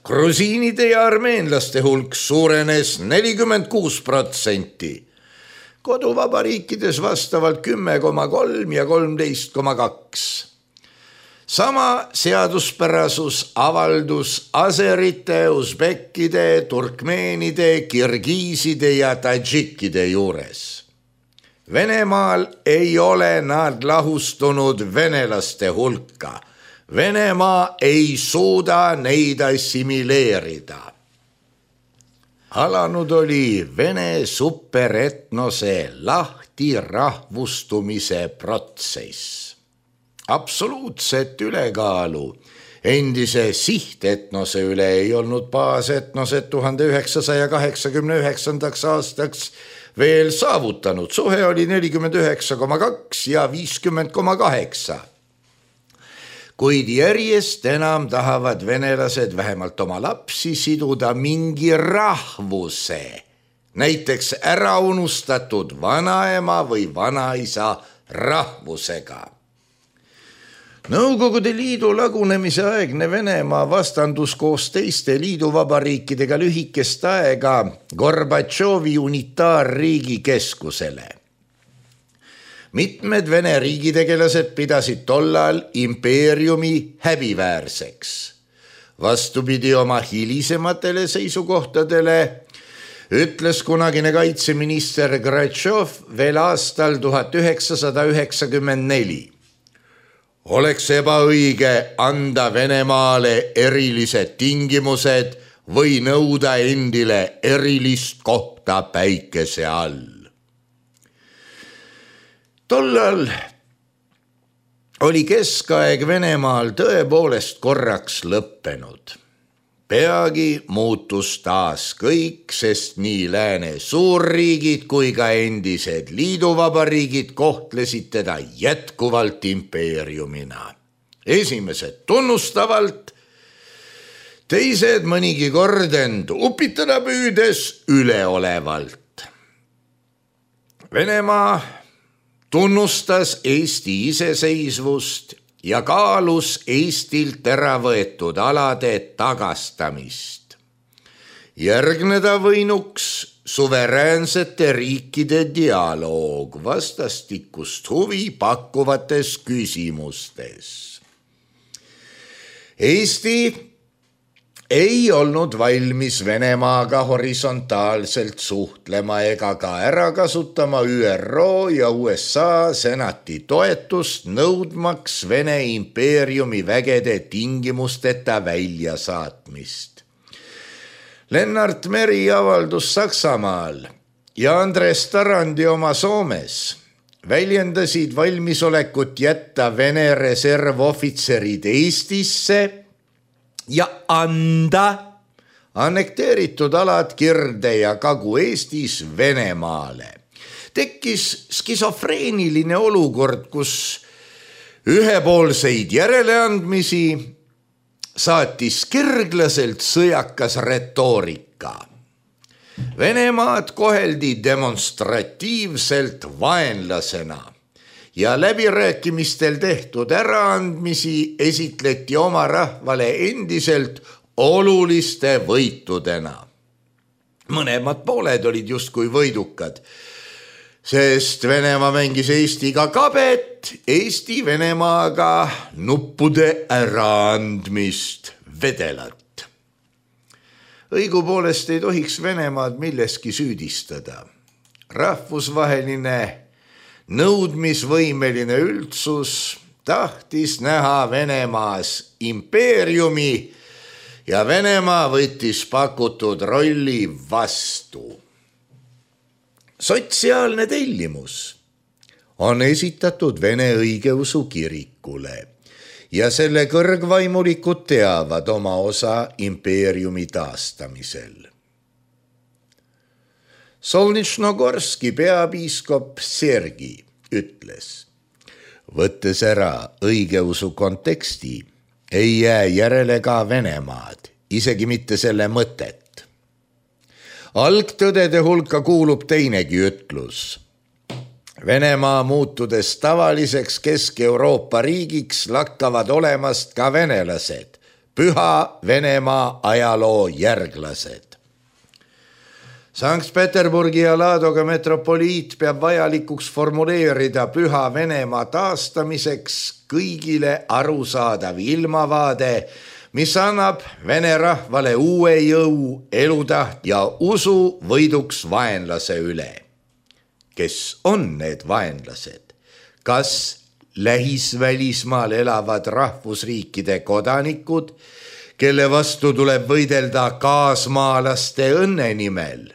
Grusiinide ja armeenlaste hulk suurenes nelikümmend kuus protsenti. Koduvabariikides vastavalt kümme koma kolm ja kolmteist koma kaks. Sama seaduspärasus avaldus aserite, usbekkide, turkmeenide, kirgiiside ja tadžikkide juures. Venemaal ei ole nad lahustunud venelaste hulka. Venemaa ei suuda neid assimileerida. Alanud oli Vene superetnose lahti rahvustumise protsess. Absoluutset ülekaalu endise sihtetnose üle ei olnud baasetnosed tuhande üheksasaja kaheksakümne üheksandaks aastaks veel saavutanud. Suhe oli nelikümmend üheksa koma kaks ja viiskümmend koma kaheksa. Kuid järjest enam tahavad venelased vähemalt oma lapsi siduda mingi rahvuse, näiteks ära unustatud vanaema või vanaisa rahvusega. Nõukogude Liidu lagunemise aegne Venemaa vastandus koos teiste liiduvabariikidega lühikest aega Gorbatšovi unitaarriigi keskusele. Mitmed Vene riigitegelased pidasid tollal impeeriumi häbiväärseks. Vastupidi oma hilisematele seisukohtadele ütles kunagine kaitseminister Gratšov veel aastal tuhat üheksasada üheksakümmend neli. Oleks ebaõige anda Venemaale erilised tingimused või nõuda endile erilist kohta päikese all. Tollal oli keskaeg Venemaal tõepoolest korraks lõppenud. Peagi muutus taas kõik, sest nii lääne suurriigid kui ka endised liiduvabariigid kohtlesid teda jätkuvalt impeeriumina. Esimesed tunnustavalt, teised mõnigi kord end upitada püüdes üleolevalt. Venemaa tunnustas Eesti iseseisvust ja kaalus Eestilt ära võetud alade tagastamist. Järgneda võinuks suveräänsete riikide dialoog vastastikust huvi pakkuvates küsimustes. Eesti ei olnud valmis Venemaaga horisontaalselt suhtlema ega ka ära kasutama Ü R O ja U S A senati toetust nõudmaks Vene impeeriumi vägede tingimusteta väljasaatmist. Lennart Meri avaldus Saksamaal ja Andres Tarandi oma Soomes väljendasid valmisolekut jätta Vene reservohvitserid Eestisse ja anda annekteeritud alad Kirde ja Kagu-Eestis Venemaale. Tekkis skisofreeniline olukord, kus ühepoolseid järeleandmisi saatis kirglaselt sõjakas retoorika. Venemaad koheldi demonstratiivselt vaenlasena ja läbirääkimistel tehtud äraandmisi esitleti oma rahvale endiselt oluliste võitudena. Mõlemad pooled olid justkui võidukad, sest Venemaa mängis Eestiga kabet, Eesti Venemaaga nuppude äraandmist vedelat. Õigupoolest ei tohiks Venemaad milleski süüdistada. Rahvusvaheline nõudmisvõimeline üldsus tahtis näha Venemaas impeeriumi ja Venemaa võttis pakutud rolli vastu. Sotsiaalne tellimus on esitatud Vene õigeusu kirikule ja selle kõrgvaimulikud teavad oma osa impeeriumi taastamisel. Solnitšnogorski peapiiskop Sergi ütles, võttes ära õigeusu konteksti, ei jää järele ka Venemaad, isegi mitte selle mõtet. Algtõdede hulka kuulub teinegi ütlus. Venemaa muutudes tavaliseks Kesk-Euroopa riigiks lakkavad olemast ka venelased, püha Venemaa ajaloo järglased. Sankt-Peterburgi ja Ladoga metropoliit peab vajalikuks formuleerida püha Venemaa taastamiseks kõigile arusaadav ilmavaade, mis annab vene rahvale uue jõu, elutaht ja usu võiduks vaenlase üle. Kes on need vaenlased? Kas lähisvälismaal elavad rahvusriikide kodanikud, kelle vastu tuleb võidelda kaasmaalaste õnne nimel?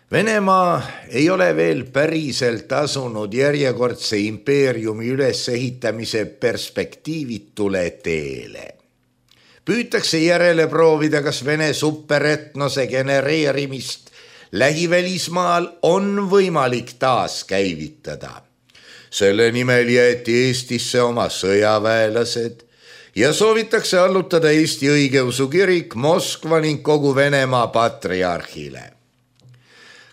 Venemaa ei ole veel päriselt asunud järjekordse impeeriumi ülesehitamise perspektiivitule teele. Püütakse järele proovida, kas Vene superetnose genereerimist lähivälismaal on võimalik taas käivitada. Selle nimel jäeti Eestisse oma sõjaväelased ja soovitakse allutada Eesti õigeusu kirik Moskva ning kogu Venemaa patriarhile.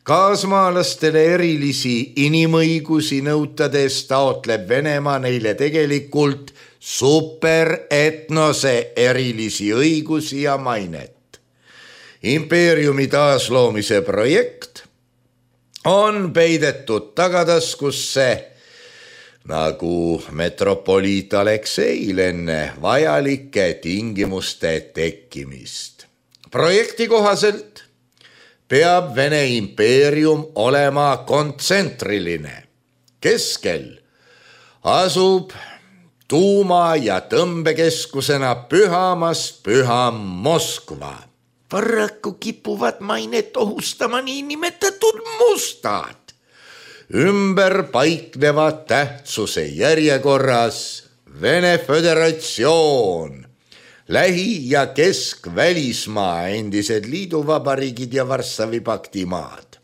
Kaasmaalastele erilisi inimõigusi nõutades taotleb Venemaa neile tegelikult superetnose erilisi õigusi ja mainet. Impeeriumi taasloomise projekt on peidetud tagataskusse nagu metropoliit Alekseil enne vajalike tingimuste tekkimist. Projekti kohaselt peab Vene impeerium olema kontsentriline. Keskel asub tuuma- ja tõmbekeskusena pühamast püham Moskva. Paraku kipuvad mainet ohustama niinimetatud mustad. Ümber paiknevad tähtsuse järjekorras Vene Föderatsioon, Lähi- ja Kesk-Välismaa, endised liiduvabariigid ja Varssavi pakti maad.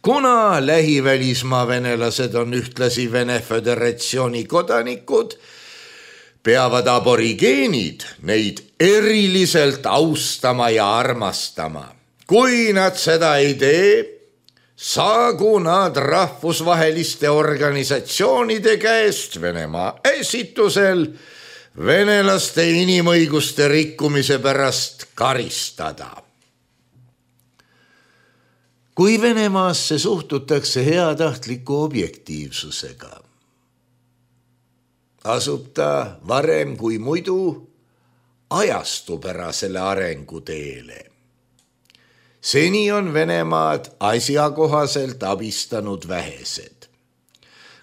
Kuna lähivälismaa venelased on ühtlasi Vene Föderatsiooni kodanikud, peavad aborigeenid neid eriliselt austama ja armastama. Kui nad seda ei tee, saagu nad rahvusvaheliste organisatsioonide käest Venemaa esitusel venelaste inimõiguste rikkumise pärast karistada. Kui Venemaasse suhtutakse heatahtliku objektiivsusega, asub ta varem kui muidu ajastupärasele arenguteele. Seni on Venemaad asjakohaselt abistanud vähesed.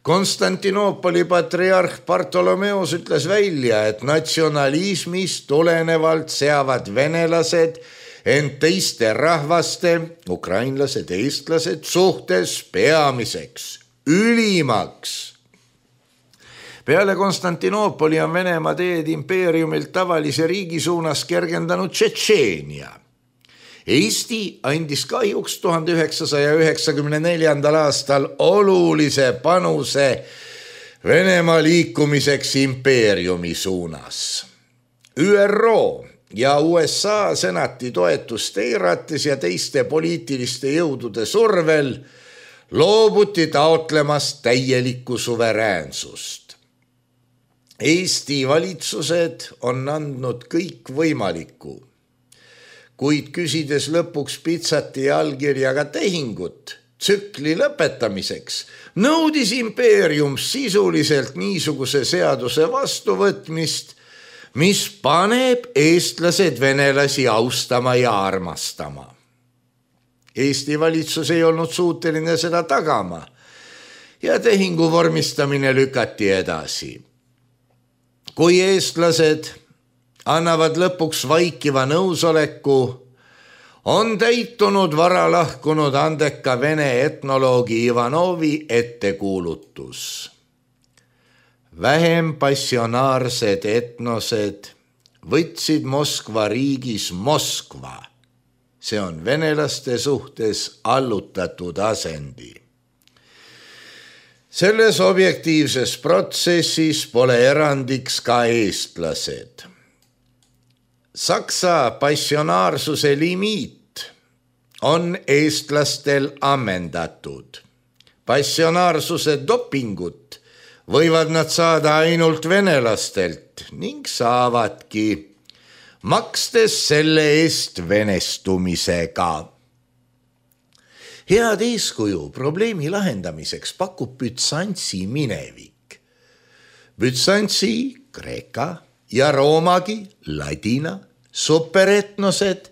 Konstantinoopoli patriarh Bartolomeos ütles välja, et natsionalismist tulenevalt seavad venelased ent teiste rahvaste, ukrainlased, eestlased suhtes peamiseks, ülimaks. Peale Konstantinoopoli on Venemaa teed impeeriumilt tavalise riigi suunas kergendanud Tšetšeenia. Eesti andis kahjuks tuhande üheksasaja üheksakümne neljandal aastal olulise panuse Venemaa liikumiseks impeeriumi suunas. Ü R O ja U S A senati toetust eirates ja teiste poliitiliste jõudude survel loobuti taotlemast täielikku suveräänsust. Eesti valitsused on andnud kõik võimalikku, kuid küsides lõpuks pitsati ja allkirjaga tehingut tsükli lõpetamiseks, nõudis impeerium sisuliselt niisuguse seaduse vastuvõtmist, mis paneb eestlased venelasi austama ja armastama. Eesti valitsus ei olnud suuteline seda tagama ja tehingu vormistamine lükati edasi. Kui eestlased annavad lõpuks vaikiva nõusoleku, on täitunud vara lahkunud andeka Vene etnoloogi Ivanovi ettekuulutus. Vähem passionaarsed etnosed võtsid Moskva riigis Moskva. See on venelaste suhtes allutatud asendi. Selles objektiivses protsessis pole erandiks ka eestlased. Saksa passionaarsuse limiit on eestlastel ammendatud. Passionaarsuse dopingut võivad nad saada ainult venelastelt ning saavadki, makstes selle eest venestumisega. Head eeskuju probleemi lahendamiseks pakub Bütsantsi minevik. Bütsantsi, Kreeka ja Roomagi, ladina, superetnosed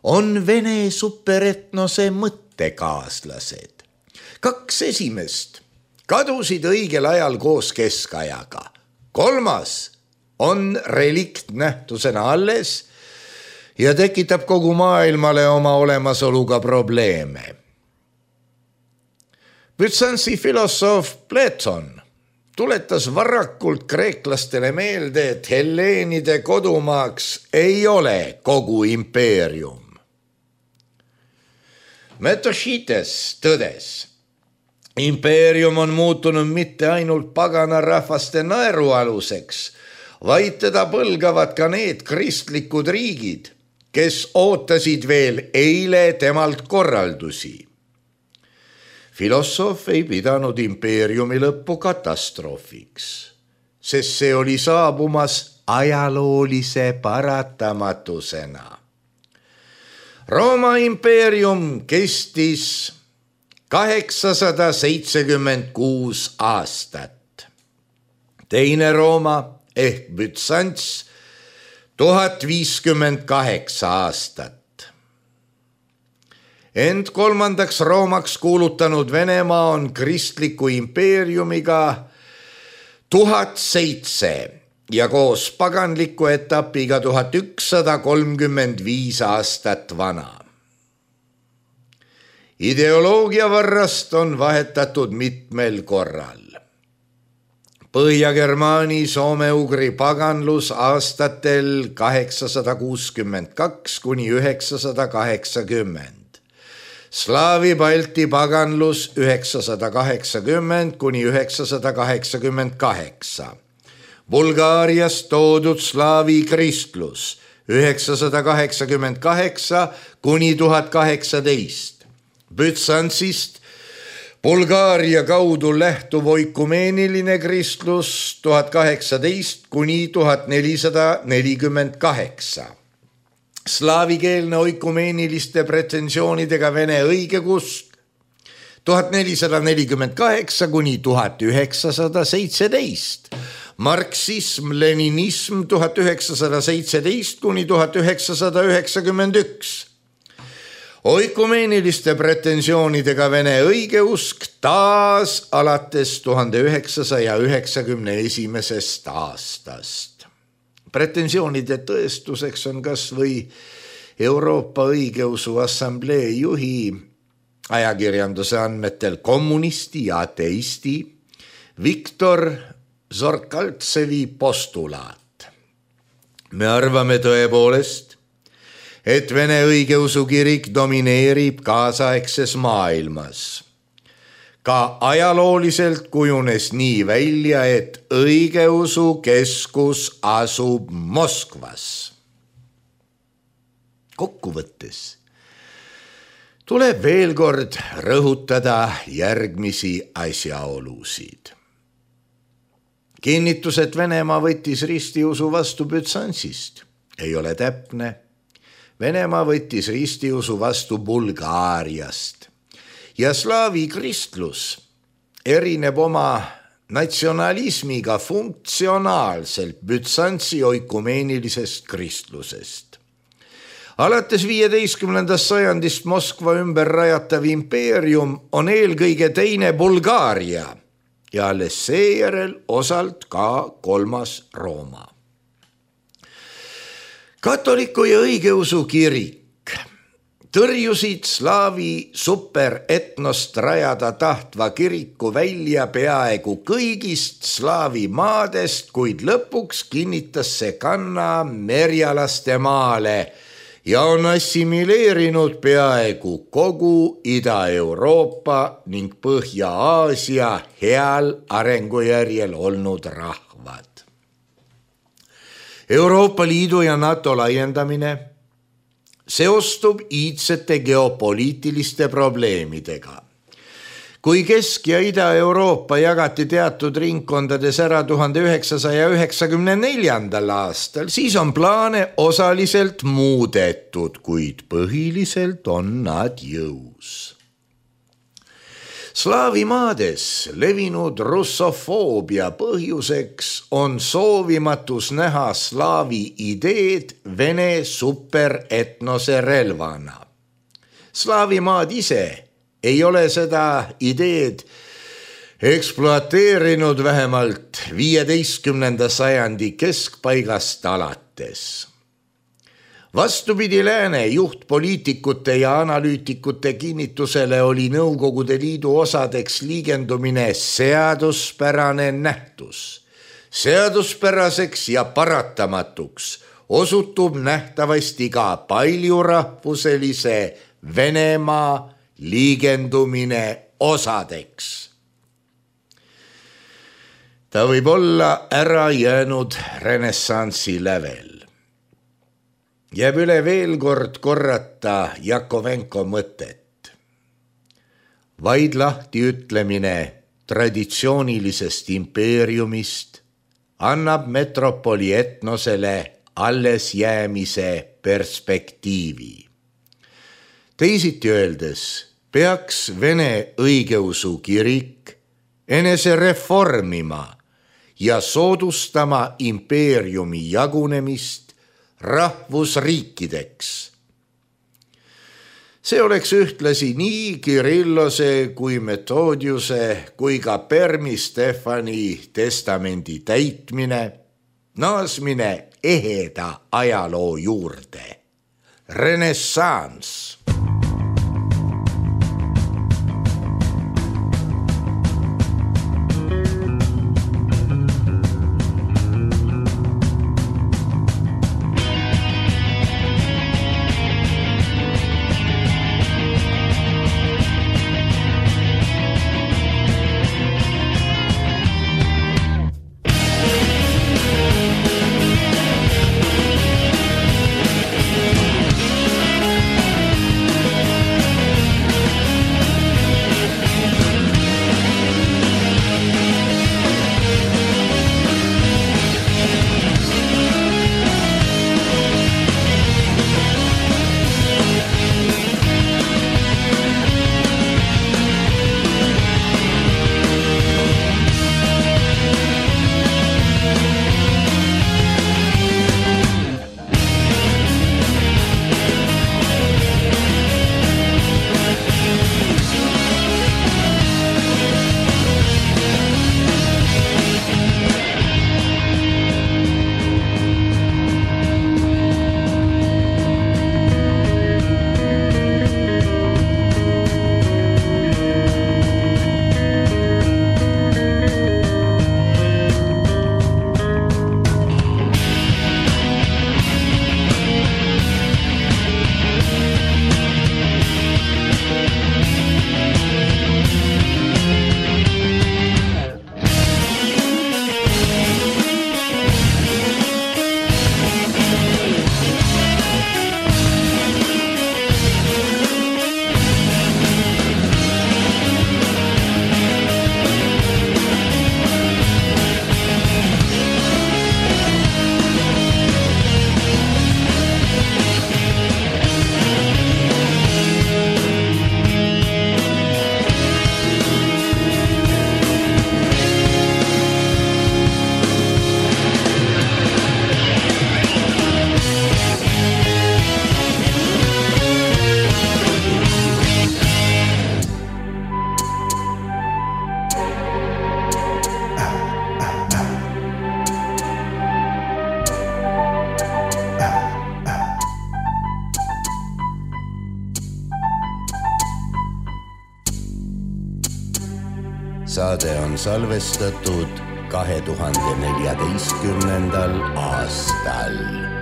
on Vene superetnose mõttekaaslased. Kaks esimest kadusid õigel ajal koos keskajaga. Kolmas on relikt nähtusena alles ja tekitab kogu maailmale oma olemasoluga probleeme. Bütsantsi filosoof Platon tuletas varakult kreeklastele meelde, et helleenide kodumaaks ei ole kogu impeerium. Metošites tõdes, impeerium on muutunud mitte ainult pagana rahvaste naerualuseks, vaid teda põlgavad ka need kristlikud riigid, kes ootasid veel eile temalt korraldusi. Filosoof ei pidanud impeeriumi lõppu katastroofiks, sest see oli saabumas ajaloolise paratamatusena. Rooma impeerium kestis kaheksasada seitsekümmend kuus aastat. Teine Rooma ehk Bütsants tuhat viiskümmend kaheksa aastat. Ent kolmandaks Roomaks kuulutanud Venemaa on kristliku impeeriumiga tuhat seitse ja koos paganliku etapiga tuhat ükssada kolmkümmend viis aastat vana. Ideoloogia varrast on vahetatud mitmel korral. Põhja-Germaani soome-ugri paganlus aastatel kaheksasada kuuskümmend kaks kuni üheksasada kaheksakümmend. Slaavi Balti paganlus üheksasada kaheksakümmend kuni üheksasada kaheksakümmend kaheksa. Bulgaarias toodud slaavi kristlus üheksasada kaheksakümmend kaheksa kuni tuhat kaheksateist. Bütsantsist Bulgaaria kaudu lähtuv oikumeeniline kristlus tuhat kaheksateist kuni tuhat nelisada nelikümmend kaheksa. Slaavikeelne oikumeeniliste pretensioonidega Vene õigeusk tuhat nelisada nelikümmend kaheksa kuni tuhat üheksasada seitseteist. Marksism, leninism tuhat üheksasada seitseteist kuni tuhat üheksasada üheksakümmend üks. Oikumeeniliste pretensioonidega Vene õigeusk taas alates tuhande üheksasaja üheksakümne esimesest aastast. Pretensioonide tõestuseks on kas või Euroopa õigeusu assamblee juhi ajakirjanduse andmetel kommunisti ja ateisti Viktor Zorkaltsevi postulaat. Me arvame tõepoolest, et Vene õigeusu kirik domineerib kaasaegses maailmas. Ka ajalooliselt kujunes nii välja, et õigeusu keskus asub Moskvas. Kokkuvõttes tuleb veel kord rõhutada järgmisi asjaolusid. Kinnitus, et Venemaa võttis ristiusu vastu Bütsantsist, ei ole täpne. Venemaa võttis ristiusu vastu Bulgaariast. Ja slaavi kristlus erineb oma natsionalismiga funktsionaalselt Bütsantsi oikumeenilisest kristlusest. Alates viieteistkümnendast sajandist Moskva ümber rajatav impeerium on eelkõige teine Bulgaaria ja alles seejärel osalt ka kolmas Rooma. Katoliku ja õigeusu kirik tõrjusid slaavi superetnost rajada tahtva kiriku välja peaaegu kõigist slaavi maadest, kuid lõpuks kinnitas see kanna merjalaste maale ja on assimileerinud peaaegu kogu Ida-Euroopa ning Põhja-Aasia heal arengujärjel olnud rahvad. Euroopa Liidu ja NATO laiendamine seostub iidsete geopoliitiliste probleemidega. Kui Kesk- ja Ida-Euroopa jagati teatud ringkondades ära tuhande üheksasaja üheksakümne neljandal aastal, siis on plaane osaliselt muudetud, kuid põhiliselt on nad jõus. Slaavi maades levinud russofoobia põhjuseks on soovimatus näha slaavi ideed Vene superetnose relvana. Slaavi maad ise ei ole seda ideed ekspluateerinud vähemalt viieteistkümnenda sajandi keskpaigast alates. Vastupidi lääne juhtpoliitikute ja analüütikute kinnitusele oli Nõukogude Liidu osadeks liigendumine seaduspärane nähtus. Seaduspäraseks ja paratamatuks osutub nähtavasti ka paljurahvuselise Venemaa liigendumine osadeks. Ta võib olla ära jäänud renessansi lävel. Jääb üle veel kord korrata Jakovenko mõtet. vaid lahti ütlemine traditsioonilisest impeeriumist annab metropoli etnosele alles jäämise perspektiivi. Teisiti öeldes peaks Vene õigeusu kirik enese reformima ja soodustama impeeriumi jagunemist rahvusriikideks. See oleks ühtlasi nii Kirillose kui Methodiuse kui ka Permi Stefani testamendi täitmine, naasmine eheda ajaloo juurde. Renessanss. Saade on salvestatud kahe tuhande neljateistkümnendal aastal.